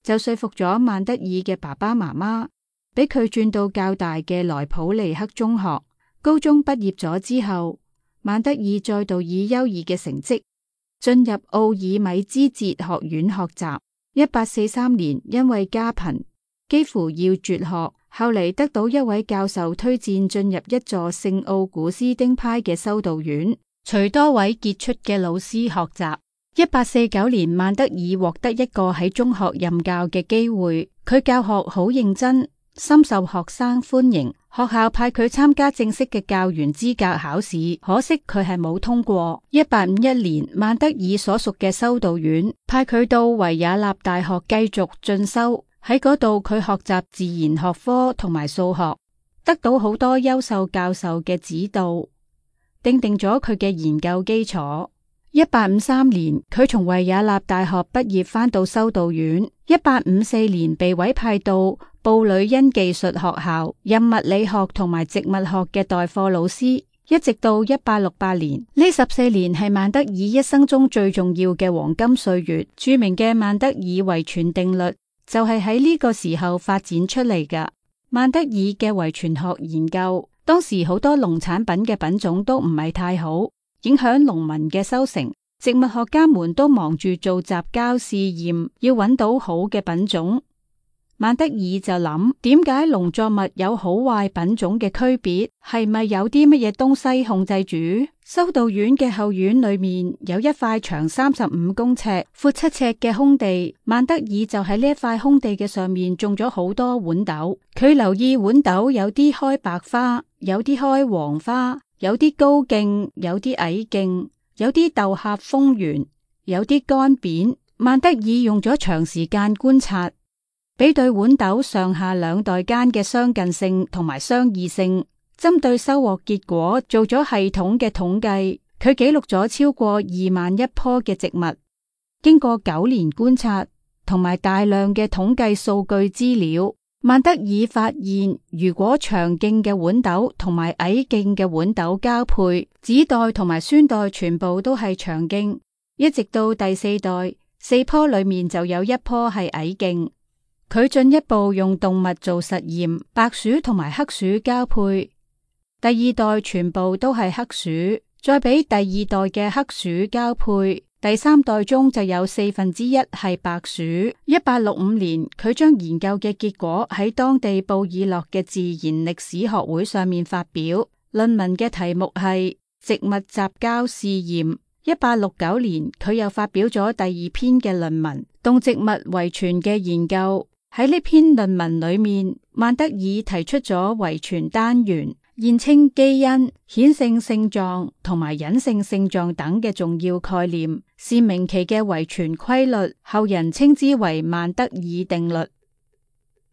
就說服咗孟德爾嘅爸爸媽媽，俾佢轉到較大嘅萊普尼克中學。高中畢業咗之後，孟德爾再度以優異嘅成績進入奧爾米茲哲學院學習。1843年因為家貧，幾乎要絕學。後嚟得到一位教授推薦進入一座聖奧古斯丁派嘅修道院，隨多位傑出嘅老師學習。1849年，曼德爾獲得一個喺中學任教嘅機會，佢教學好認真，深受學生歡迎。學校派佢參加正式嘅教員資格考試，可惜佢係冇通過。1851年，曼德爾所屬嘅修道院派佢到維也納大學繼續進修，喺嗰度佢學習自然學科同埋數學，得到好多優秀教授嘅指導，奠定咗佢嘅研究基礎。1853年，佢從維也納大學畢業，返到修道院。1854年被委派到布呂恩技術學校，任物理學同埋植物學嘅代課老師，一直到1868年。呢14年係曼德爾一生中最重要嘅黃金歲月。著名嘅曼德爾遺傳定律就係喺呢個時候發展出嚟㗎。曼德爾嘅遺傳學研究，當時好多農產品嘅品種都唔係太好，影響農民嘅收成，植物學家們都忙住做雜交試驗，要揾到好嘅品種。曼德爾就諗，點解農作物有好壞品種嘅區別？係咪有啲乜嘢東西控制住？修道院嘅後院裏面有一塊長35公尺、闊7尺嘅空地，曼德爾就喺呢一塊空地嘅上面種咗好多豌豆。佢留意豌豆有啲開白花，有啲開黃花，有啲高莖，有啲矮莖，有啲豆殼豐圓，有啲乾扁。曼德爾用咗長時間觀察，比對豌豆上下兩代間嘅相近性同埋相異性，針對收穫結果做咗系統嘅統計。佢記錄咗超過2萬一棵嘅植物。經過9年觀察同埋大量嘅統計數據資料，曼德爾發現，如果長莖嘅豌豆同埋矮莖嘅豌豆交配，子代同埋孫代全部都係長莖，一直到第4代，4棵裏面就有1棵係矮莖。佢進一步用動物做實驗，白鼠同埋黑鼠交配，第2代全部都係黑鼠，再俾第2代嘅黑鼠交配，第3代中就有1/4係白鼠。1865年，佢將研究嘅結果喺當地布爾諾嘅自然歷史學會上面發表，論文嘅題目係植物雜交試驗。1869年，佢又發表咗第2篇嘅論文，動植物遺傳嘅研究。喺呢篇論文裏面，曼德爾提出咗遺傳單元、現稱基因、顯性性狀同埋隱性性狀等嘅重要概念，是明其嘅遺傳規律，後人稱之為曼德爾定律。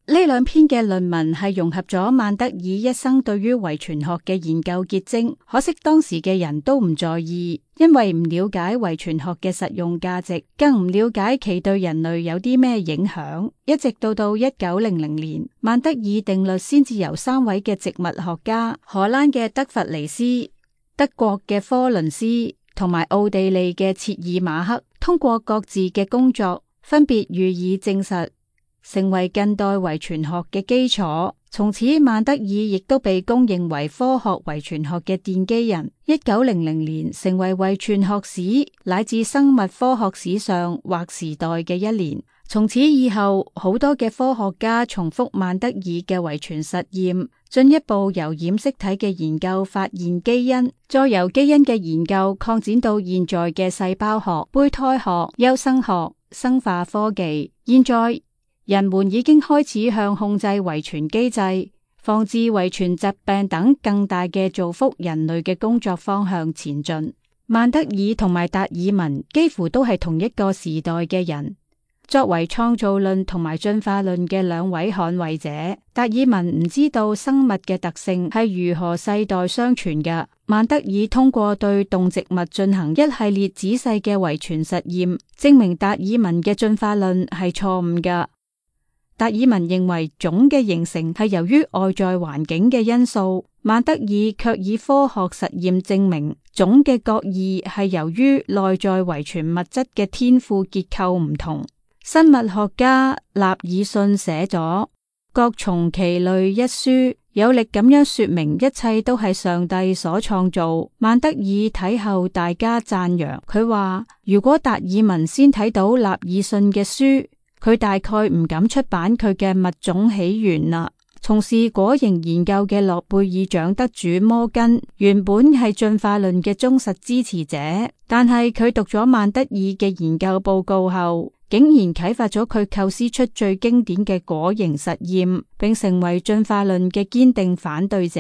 呢2篇嘅論文係融合咗曼德爾一生對於遺傳學嘅研究結晶，可惜當時嘅人都唔在意，因為唔了解遺傳學嘅實用價值，更唔了解其對人類有啲咩影響。一直到1900年，曼德爾定律先至由3位嘅植物學家，荷蘭嘅德弗尼斯、德國嘅科倫斯同埋奧地利嘅切爾馬克，通過各自嘅工作，分別予以證實，成為近代遺傳學嘅基礎。從此，曼德爾亦都被公認為科學遺傳學嘅奠基人。1900年成為遺傳學史乃至生物科學史上劃時代嘅一年。從此以後，好多嘅科學家重複曼德爾嘅遺傳實驗，進一步由染色體嘅研究發現基因，再由基因嘅研究擴展到現在嘅細胞學、胚胎學、優生學、生化科技。現在人們已經開始向控制遺傳機制、防治遺傳疾病等更大嘅造福人類嘅工作方向前進。曼德爾同埋達爾文幾乎都係同一個時代嘅人。作為創造論同埋進化論嘅2位捍衛者，達爾文唔知道生物嘅特性係如何世代相傳嘅。曼德爾通過對動植物進行一系列仔細嘅遺傳實驗，證明達爾文嘅進化論係錯誤嘅。達爾文認為種嘅形成係由於外在環境嘅因素，曼德爾卻以科學實驗證明種嘅各異係由於內在遺傳物質嘅天賦結構唔同。生物學家納爾遜寫咗《各從其類》一書，有力咁樣說明一切都係上帝所創造。曼德爾睇後大加讚揚，佢話如果達爾文先睇到納爾遜嘅書，佢大概唔敢出版佢嘅物種起源啦。從事果蠅研究嘅諾貝爾獎得主摩根原本係進化論嘅忠實支持者，但係佢讀咗曼德爾嘅研究報告後，竟然啟發咗佢構思出最經典嘅果蠅實驗，並成為進化論嘅堅定反對者。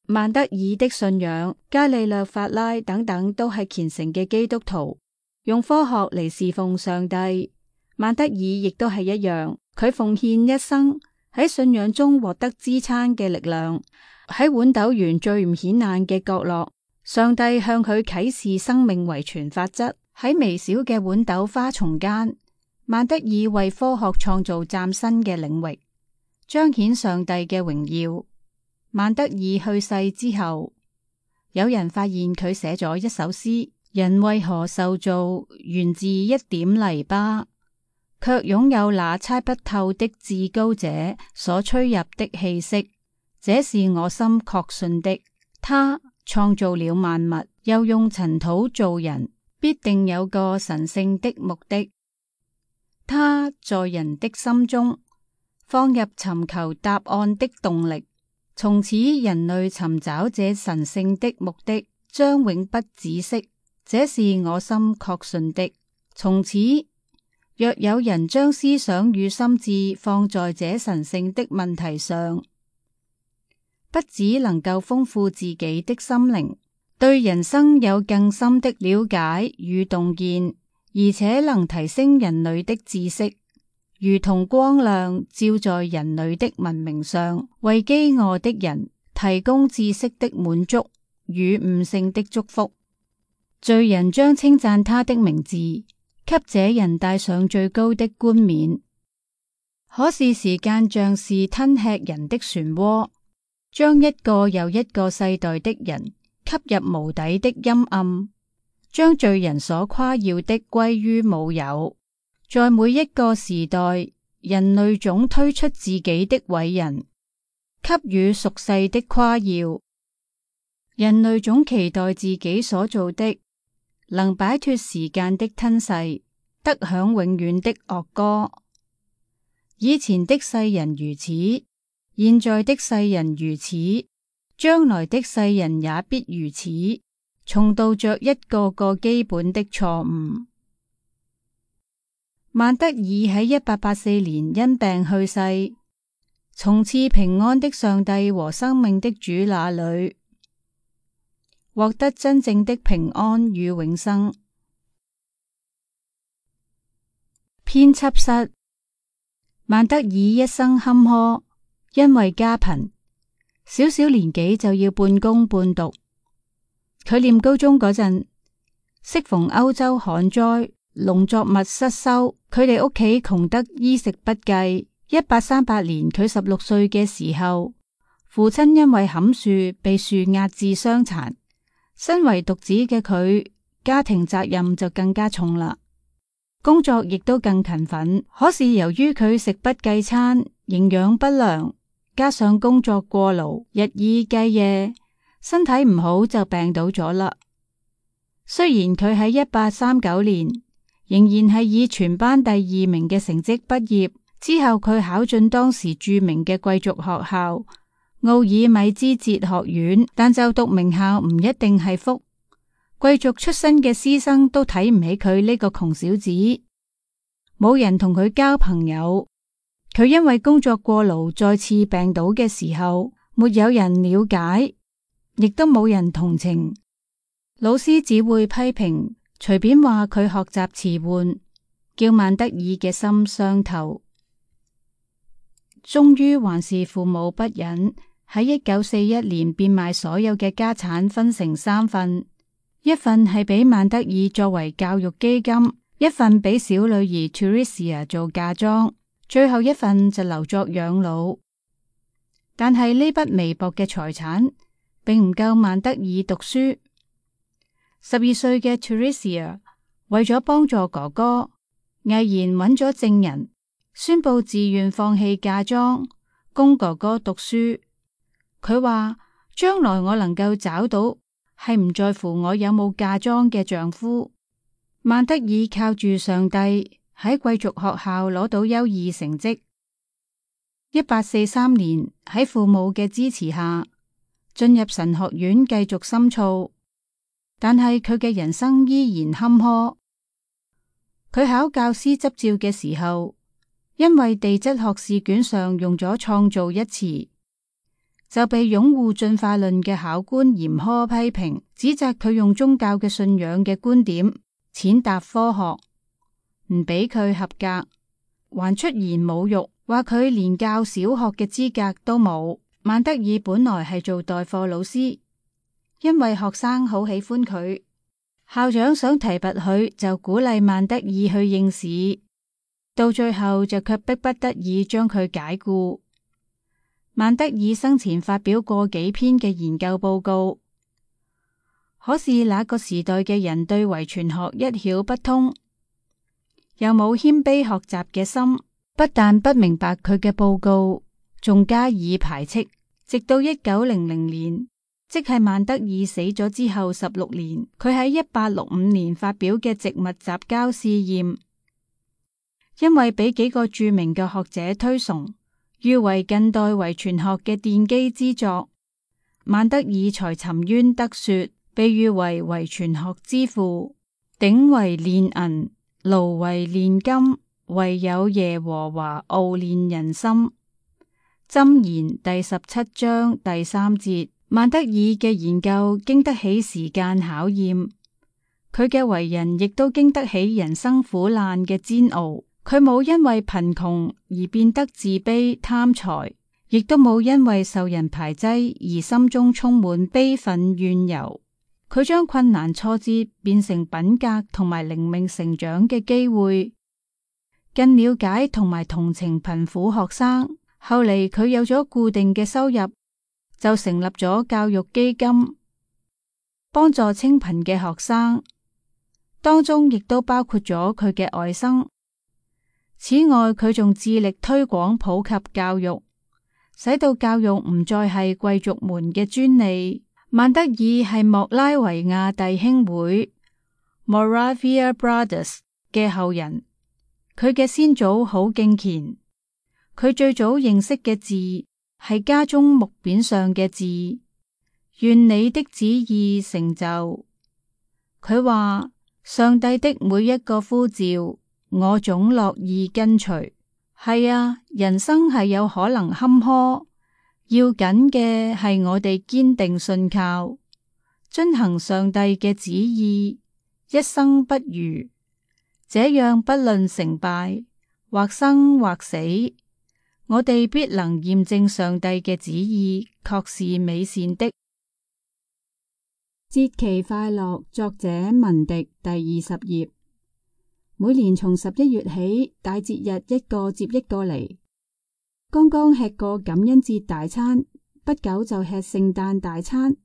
曼德爾的信仰、伽利略、法拉等等都係虔誠嘅基督徒，用科學嚟侍奉上帝。曼德爾亦都係一樣，佢奉獻一生喺信仰中獲得支撐嘅力量。喺豌豆園最唔顯眼嘅角落，上帝向佢啟示生命遺傳法則。喺微小嘅豌豆花叢間，曼德爾為科學創造嶄新嘅領域，彰顯上帝嘅榮耀。曼德爾去世之後，有人發現佢寫咗一首詩：人為何受造，源自一點泥巴，卻擁有那猜不透的至高者所吹入的氣息。這是我心確信的。他創造了萬物，又用塵土造人，必定有個神聖的目的。他在人的心中放入尋求答案的動力。從此人類尋找這神聖的目的將永不止息，這是我心確信的。從此若有人將思想與心智放在這神聖的問題上，不只能夠豐富自己的心靈，對人生有更深的了解與洞見，而且能提升人類的知識，如同光亮照在人類的文明上，為飢餓的人提供知識的滿足與悟性的祝福。罪人將稱讚他的名字，給這人戴上最高的冠冕。可是時間像是吞吃人的漩渦，將一個又一個世代的人吸入無底的陰暗，將罪人所誇耀的歸於無有。在每一個時代，人類總推出自己的偉人，給予俗世的誇耀。人類總期待自己所做的能擺脫時間的吞噬，得享永遠的樂歌。以前的世人如此，現在的世人如此，將來的世人也必如此，重蹈着一個個基本的錯誤。曼德爾喺1884年因病去世，從賜平安的上帝和生命的主那裏獲得真正的平安與永生。編輯室。曼德爾一生坎坷，因為家貧，小小年紀就要半工半讀。佢念高中嗰陣，適逢歐洲旱災，農作物失收，佢哋屋企窮得衣食不繼。1838年佢16歲嘅時候，父親因為砍樹被樹壓至傷殘，身為獨子嘅佢，家庭責任就更加重啦，工作亦都更勤奮。可是由於佢食不計餐，營養不良，加上工作過勞，日以繼夜，身體唔好就病倒咗啦。雖然佢喺1839年仍然係以全班第2名嘅成績畢業，之後佢考進當時著名嘅貴族學校奧爾米茲哲學院，但就讀名校唔一定係福。貴族出身嘅師生都睇唔起佢呢個窮小子，冇人同佢交朋友。佢因為工作過勞再次病倒嘅時候，沒有人了解，亦都冇人同情。老師只會批評，隨便話佢學習遲緩，叫曼德爾嘅心傷透。終於還是父母不忍，喺1941年變賣所有嘅家產，分成3份，一份係俾曼德爾作為教育基金，一份俾小女兒 Theresia 做嫁妝，最後一份就留作養老。但係呢筆微薄嘅財產並唔夠曼德爾讀書。12歲嘅 Theresia 為咗幫助哥哥，毅然揾咗證人，宣布自願放棄嫁妝，供哥哥讀書。佢話將來我能夠找到係唔在乎我有冇嫁妝嘅丈夫。曼德爾靠住上帝喺貴族學校攞到優異成績。1843年喺父母嘅支持下，進入神學院繼續深造，但係佢嘅人生依然坎坷。佢考教師執照嘅時候，因為地質學試卷上用咗創造一詞，就被擁護進化論嘅考官嚴苛批評，指責佢用宗教嘅信仰嘅觀點踐踏科學，唔俾佢合格，還出言侮辱，話佢連教小學嘅資格都冇。曼德爾本來係做代課老師，因為學生好喜歡佢，校長想提拔佢，就鼓勵曼德爾去應試，到最後就卻迫不得已將佢解僱。曼德爾生前發表過幾篇嘅研究報告，可是那個時代嘅人對遺傳學一竅不通，又冇謙卑學習嘅心，不但不明白佢嘅報告，仲加以排斥。直到1900年，即係曼德爾死咗之後16年，佢喺1865年發表嘅植物雜交試驗，因為俾幾個著名嘅學者推崇，譽為近代遺傳學嘅奠基之作，曼德爾才沉冤得雪，被譽為遺傳學之父。鼎為煉銀，爐為煉金，唯有耶和華熬煉人心。箴言第17章第3節。曼德爾嘅研究經得起時間考驗，佢嘅為人亦都經得起人生苦難嘅煎熬。佢冇因為貧窮而變得自卑貪財，亦都冇因為受人排擠而心中充滿悲憤怨尤。佢將困難挫折變成品格同埋靈命成長嘅機會，更了解同埋同情貧苦學生。後嚟佢有咗固定嘅收入，就成立咗教育基金，幫助清貧嘅學生，當中亦都包括咗佢嘅外甥。此外，佢仲致力推廣普及教育，使到教育唔再係貴族們嘅專利。曼德爾係莫拉維亞弟兄會 （Moravia Brothers） 嘅後人，佢嘅先祖好敬虔。佢最早認識嘅字係家中木匾上嘅字，願你的旨意成就。佢話上帝的每一個呼召，我總樂意跟隨。係啊，人生係有可能坎坷，要緊嘅係我哋堅定信靠，遵行上帝嘅旨意，一生不渝。這樣不論成敗，或生或死，我哋必能驗證上帝嘅旨意，確是美善的。節期快樂，作者文迪，第20頁。每年從11月起，大節日一個接一個嚟。剛剛吃過感恩節大餐，不久就吃聖誕大餐，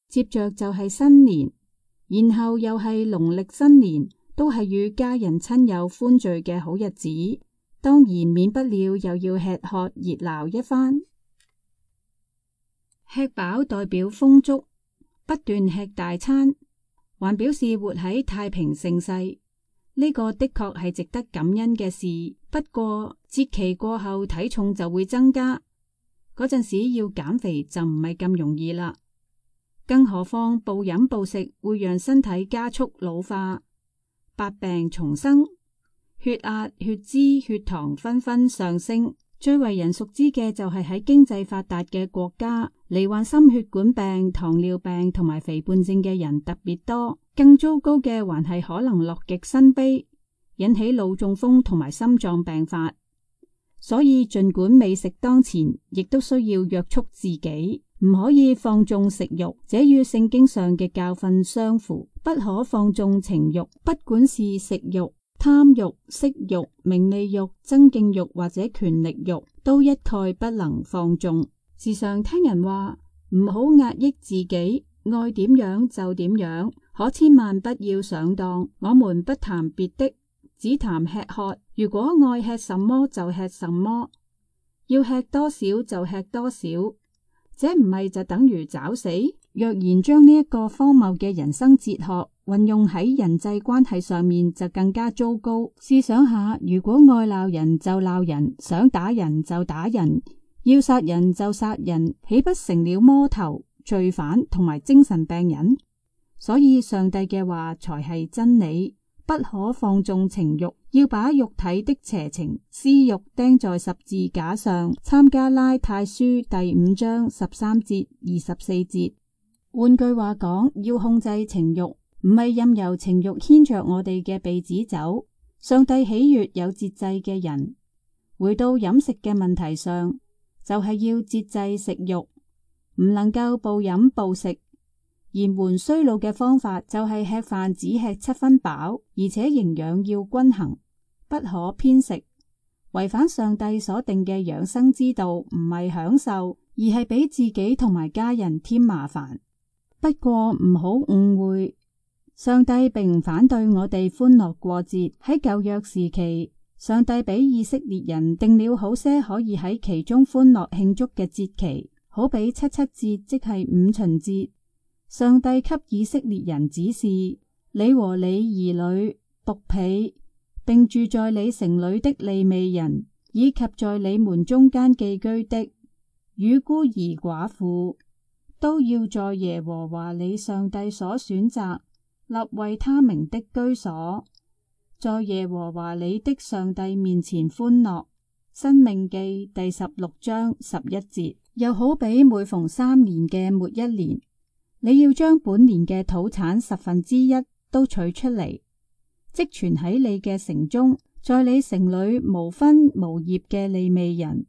接着就係新年，然後又係農曆新年，都係與家人親友歡聚嘅好日子。當然免不了又要吃喝熱鬧一番。吃飽代表豐足，不斷吃大餐，還表示活喺太平盛世。呢個的確係值得感恩嘅事。不過節期過後體重就會增加，嗰陣時要減肥就唔係咁容易啦。更何況暴飲暴食會讓身體加速老化，百病叢生。血壓、血脂、血糖紛紛上升，最為人熟知嘅就係喺經濟發達嘅國家，罹患心血管病、糖尿病同埋肥胖症嘅人特別多。更糟糕嘅還係可能樂極生悲，引起腦中風同埋心臟病發。所以儘管美食當前，亦都需要約束自己，唔可以放縱食慾，這與聖經上嘅教訓相符。不可放縱情慾，不管是食慾、貪慾、色慾、名利慾、爭競慾或者權力慾，都一概不能放縱。時常聽人話唔好壓抑自己，愛點樣就點樣，可千萬不要上當。我們不談別的，只談吃喝。如果愛吃什麼就吃什麼，要吃多少就吃多少，這唔係就等於找死？若然將呢一個荒謬嘅人生哲學運用喺人際關係上面，就更加糟糕。試想下，如果愛鬧人就鬧人，想打人就打人，要殺人就殺人，豈不成了魔頭、罪犯同埋精神病人？所以上帝嘅話才係真理，不可放縱情慾，要把肉體的邪情私慾釘在十字架上。參加拉太書第5章13節、24節。換句話講，要控制情慾，唔係任由情慾牽着我哋嘅鼻子走。上帝喜悅有節制嘅人。回到飲食嘅問題上，就係要節制食慾，唔能夠暴飲暴食。延緩衰老嘅方法就係吃飯只吃7分飽，而且營養要均衡，不可偏食。違反上帝所定嘅養生之道，唔係享受，而係俾自己同埋家人添麻煩。不過唔好誤會，上帝並唔反對我哋歡樂過節。喺舊約時期，上帝俾以色列人定了好些可以喺其中歡樂慶祝嘅節期，好比七七節，即係五旬節。上帝給以色列人指示：你和你兒女、僕婢，並住在你城裏的利未人，以及在你們中間寄居的與孤兒寡婦，都要在耶和華你上帝所選擇立為他名的居所，在耶和華你的上帝面前歡樂。申命記第16章11節。又好比每逢3年嘅末一年，你要將本年嘅土產1/10都取出嚟，積存喺你嘅城中，在你城裏無分無業嘅利未人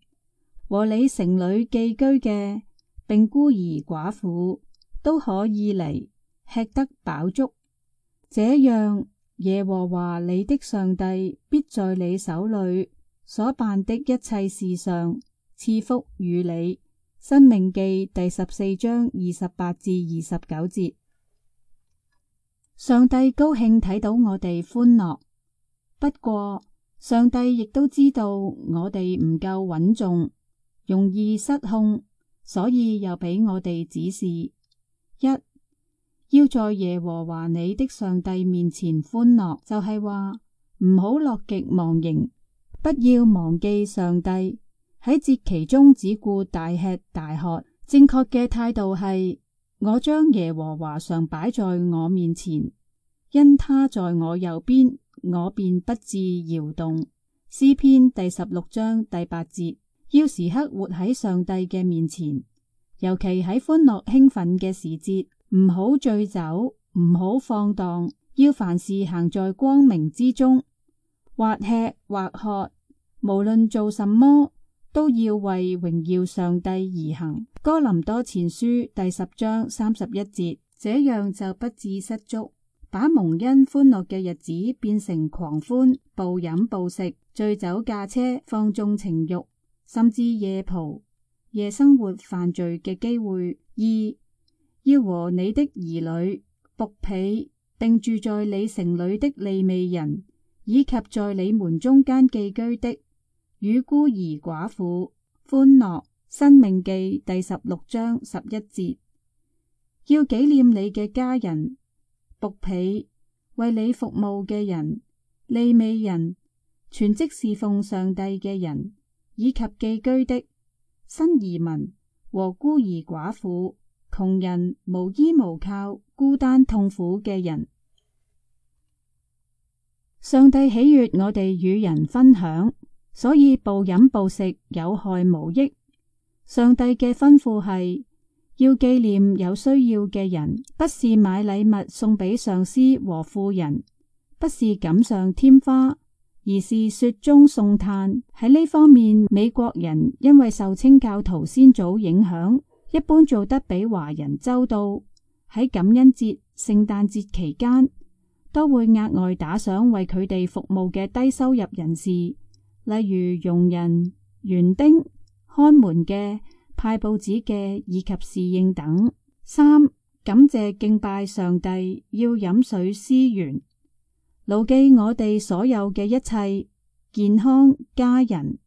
和你城裏寄居嘅，並孤兒寡婦都可以嚟，吃得飽足。這樣耶和華你的上帝必在你手裏所辦的一切事上賜福與你。申命記第14章28至29節。上帝高興睇到我哋歡樂，不過上帝亦都知道我哋唔夠穩重，容易失控，所以又俾我哋指示：一，要在耶和華你的上帝面前歡樂，就係話唔好樂極忘形，不要忘記上帝。喺節期中只顧大吃大喝。正確嘅態度係：我將耶和華常擺在我面前，因他在我右邊，我便不致搖動。詩篇第16章第8節。要時刻活喺上帝嘅面前，尤其喺歡樂興奮嘅時節，唔好醉酒，唔好放蕩，要凡事行在光明之中，或吃或喝，無論做什麼，都要為榮耀上帝而行。哥林多前書第10章31節。這樣就不致失足，把蒙恩歡樂嘅日子變成狂歡、暴飲暴食、醉酒駕車、放縱情慾，甚至夜蒲、夜生活犯罪嘅機會。二，要和你的兒女、僕婢，並住在你城裏的利未人，以及在你們中間寄居的與孤兒寡婦歡樂。申命記第16章11節。要紀念你嘅家人、僕婢、為你服務嘅人、利未人、全職侍奉上帝嘅人，以及寄居的新移民和孤兒寡婦、窮人、無依無靠、孤單痛苦嘅人。上帝喜悅我哋與人分享，所以暴飲暴食有害無益。上帝嘅吩咐係要紀念有需要嘅人，不是買禮物送俾上司和富人，不是錦上添花，而是雪中送炭。喺呢方面，美國人因為受清教徒先祖影響，一般做得比華人周到。喺感恩節、聖誕節期間，都會額外打賞為佢哋服務嘅低收入人士，例如傭人、園丁、看門嘅、派報紙嘅以及侍應等。三、感謝敬拜上帝，要飲水思源，牢記我哋所有嘅一切健康、家人、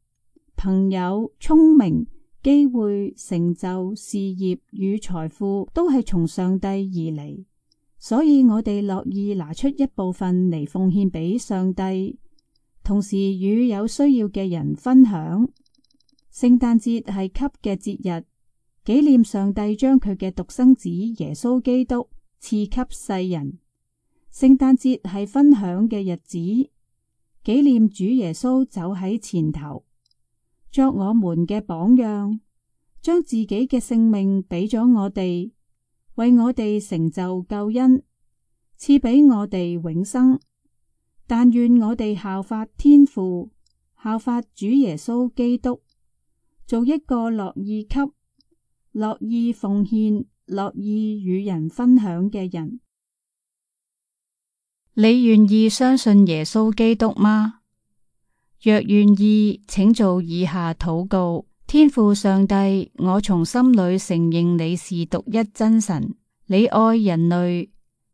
朋友、聰明、機會、成就、事業與財富都係從上帝而嚟，所以我哋樂意拿出一部分嚟奉獻俾上帝，同時與有需要嘅人分享。聖誕節係給嘅節日，紀念上帝將佢嘅獨生子耶穌基督賜給世人。聖誕節係分享嘅日子，紀念主耶穌走喺前頭，作我們嘅榜樣，將自己嘅性命俾咗我哋，為我哋成就救恩，賜俾我哋永生。但願我哋效法天父，效法主耶穌基督，做一個樂意給、樂意奉獻、樂意與人分享嘅人。你願意相信耶穌基督嗎？若願意，請做以下禱告：天父上帝，我從心裏承認你是獨一真神，你愛人類，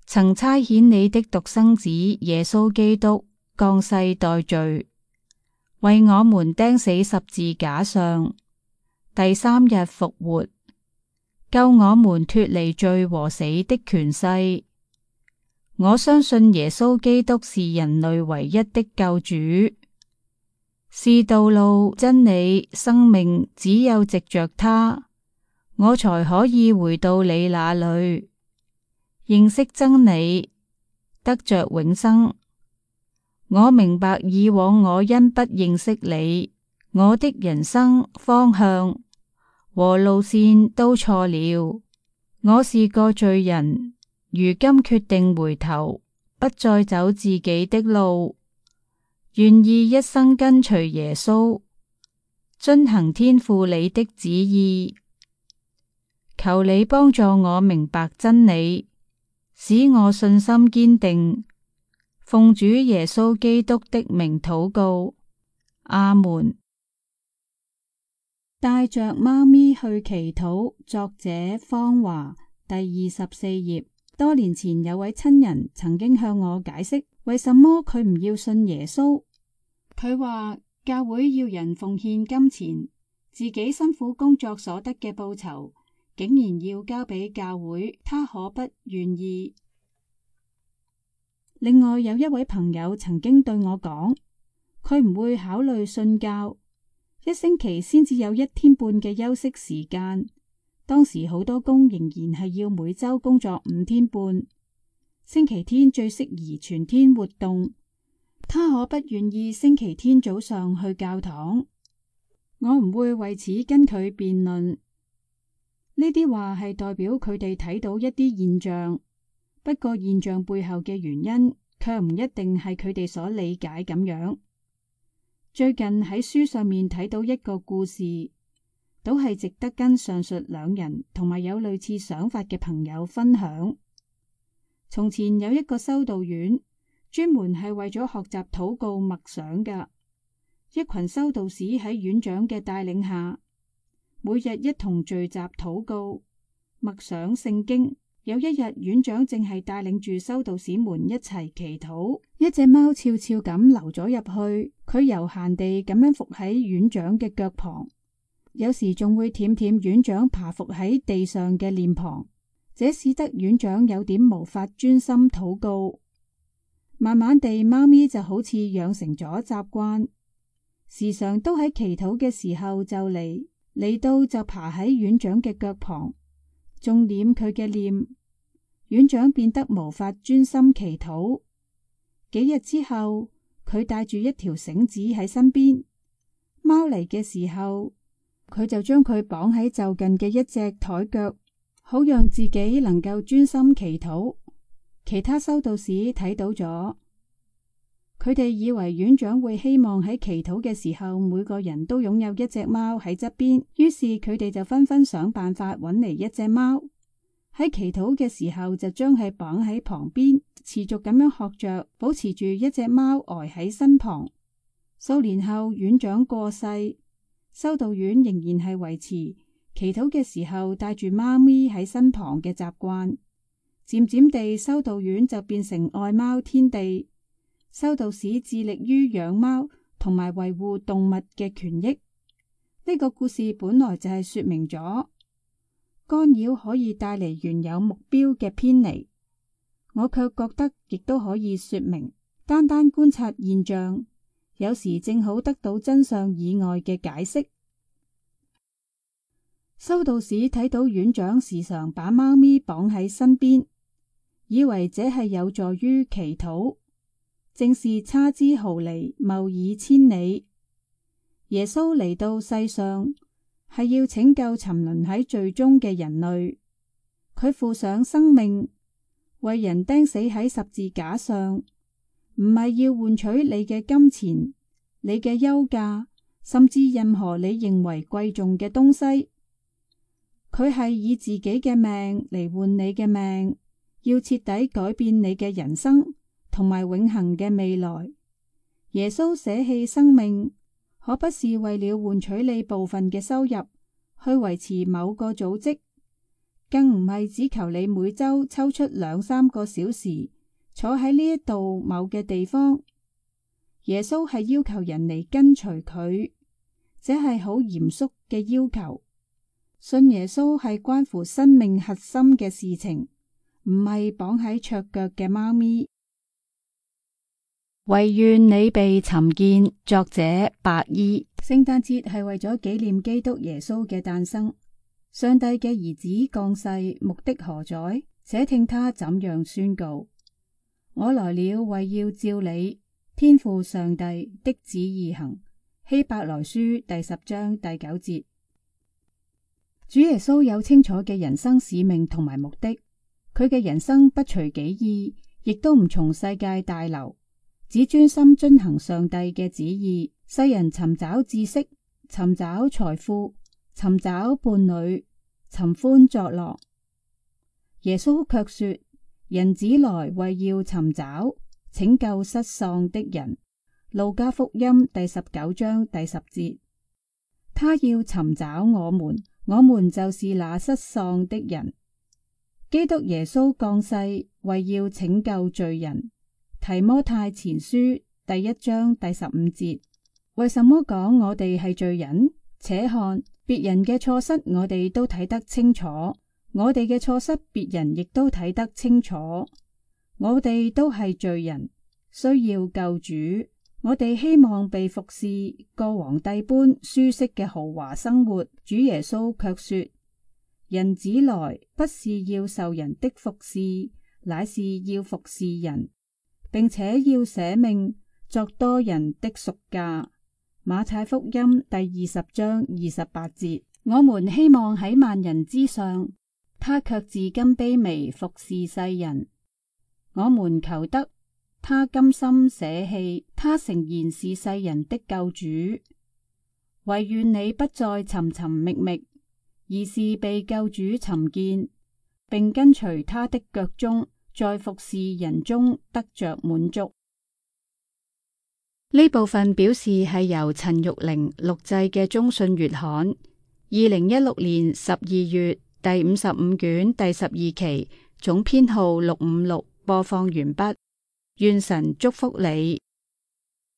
曾差遣你的獨生子耶穌基督降世代罪，為我們釘死十字架上，第三日復活，救我們脫離罪和死的權勢。我相信耶穌基督是人類唯一的救主，是道路、真理、生命，只有藉着他，我才可以回到你那裏，認識真理，得着永生。我明白以往我因不認識你，我的人生方向和路線都錯了。我是個罪人，如今決定回頭，不再走自己的路，願意一生跟隨耶穌，遵行天父你的旨意。求你幫助我明白真理，使我信心堅定。奉主耶穌基督的名禱告，阿門。帶着貓咪去祈禱，作者方華，第24頁。多年前有位親人曾經向我解釋，為什麼佢唔要信耶穌。佢話教會要人奉獻金錢，自己辛苦工作所得嘅報酬，竟然要交俾教會，他可不願意。另外有一位朋友曾經對我講，佢唔會考慮信教，一星期先至有1天半嘅休息時間。當時好多工仍然係要每周工作5天半，星期天最適宜全天活動。他可不願意星期天早上去教堂。我唔會為此跟佢辯論。呢啲話係代表佢哋睇到一啲現象。不過現象背後嘅原因，卻唔一定係佢哋所理解咁樣。最近喺書上面睇到一個故事，都係值得跟上述兩人同埋有類似想法嘅朋友分享。從前有一個修道院，專門係為咗學習禱告默想㗎。一群修道士喺院長嘅帶領下，每日一同聚集禱告、默想聖經。有一日，院長正係帶領住修道士們一齊祈禱，一隻貓悄悄咁溜咗入去，佢悠閒地咁樣伏喺院長嘅腳旁，有時仲會舔舔院長爬伏喺地上嘅臉龐，這使得院長有點無法專心禱告。慢慢地，貓咪就好似養成咗習慣，時常都喺祈禱嘅時候就嚟到就爬喺院長嘅腳旁，仲舔佢嘅臉。院長變得無法專心祈禱。幾日之後，佢帶住一條繩子喺身邊，貓嚟嘅時候，佢就將佢綁喺就近嘅一隻台腳，好讓自己能夠專心祈禱。其他修道士睇到咗，佢哋以為院長會希望喺祈禱嘅時候每個人都擁有一隻貓喺側邊，於是佢哋就紛紛想辦法搵嚟一隻貓。喺祈禱嘅時候就將佢綁喺旁邊，持續咁樣學着，保持住一隻貓呆喺身旁。數年後，院長過世，修道院仍然係維持祈禱嘅時候帶住貓咪喺身旁嘅習慣。漸漸地，修道院就變成愛貓天地，修道士致力於養貓同埋維護動物嘅權益。呢個故事本來就係說明咗干擾可以帶嚟原有目標嘅偏離，我卻覺得亦都可以說明，單單觀察現象，有時正好得到真相以外嘅解釋。修道士睇到院長時常把貓咪綁喺身邊，以為這係有助於祈禱，正是差之毫釐，謬以千里。耶穌嚟到世上係要拯救沉淪喺罪中嘅人類，佢付上生命，為人釘死喺十字架上，唔係要換取你嘅金錢、你嘅休假，甚至任何你認為貴重嘅東西。佢係以自己嘅命嚟換你嘅命，要徹底改變你嘅人生同埋永恆嘅未來。耶穌捨棄生命，可不是為了換取你部分嘅收入，去維持某個組織，更唔係只求你每周抽出2-3個小時坐喺呢一度某嘅地方。耶穌係要求人嚟跟隨佢，這係好嚴肅嘅要求。信耶穌係關乎生命核心嘅事情，唔係綁喺桌腳嘅貓咪。唯願你被尋見。作者白衣。聖誕節係為咗紀念基督耶穌嘅誕生。上帝嘅兒子降世，目的何在？且聽他怎樣宣告：我來了，為要照你天父上帝的旨意行。希伯來書第10章第9節。主耶穌有清楚嘅人生使命同埋目的，佢嘅人生不隨己意，亦都唔從世界大流，只專心遵行上帝嘅旨意。世人尋找知識，尋找財富，尋找伴侶，尋歡作樂。耶穌卻說：人子來為要尋找拯救失喪的人。路加福音第19章第10節。他要尋找我們，我們就是那失喪的人。基督耶穌降世為要拯救罪人。提摩太前書第1章第15節。為什麼講我哋係罪人？且看別人嘅錯失，我哋都睇得清楚；我哋嘅錯失，別人亦都睇得清楚。我哋都係罪人，需要救主。我哋希望被服侍，過皇帝般舒適嘅豪華生活。主耶穌卻說：人子來不是要受人的服侍，乃是要服侍人，並且要捨命作多人的贖價。馬太福音第20章28節。我們希望喺萬人之上，他卻至今卑微服侍世人。我們求得他甘心捨棄，他誠然是世人的救主。惟願你不再尋尋覓覓，而是被救主尋見，並跟隨他的腳蹤，在服侍人中得着滿足。呢部分表示係由陳玉玲錄製嘅中信月刊2016年12月第55卷第12期總編號656播放完畢。願神祝福你。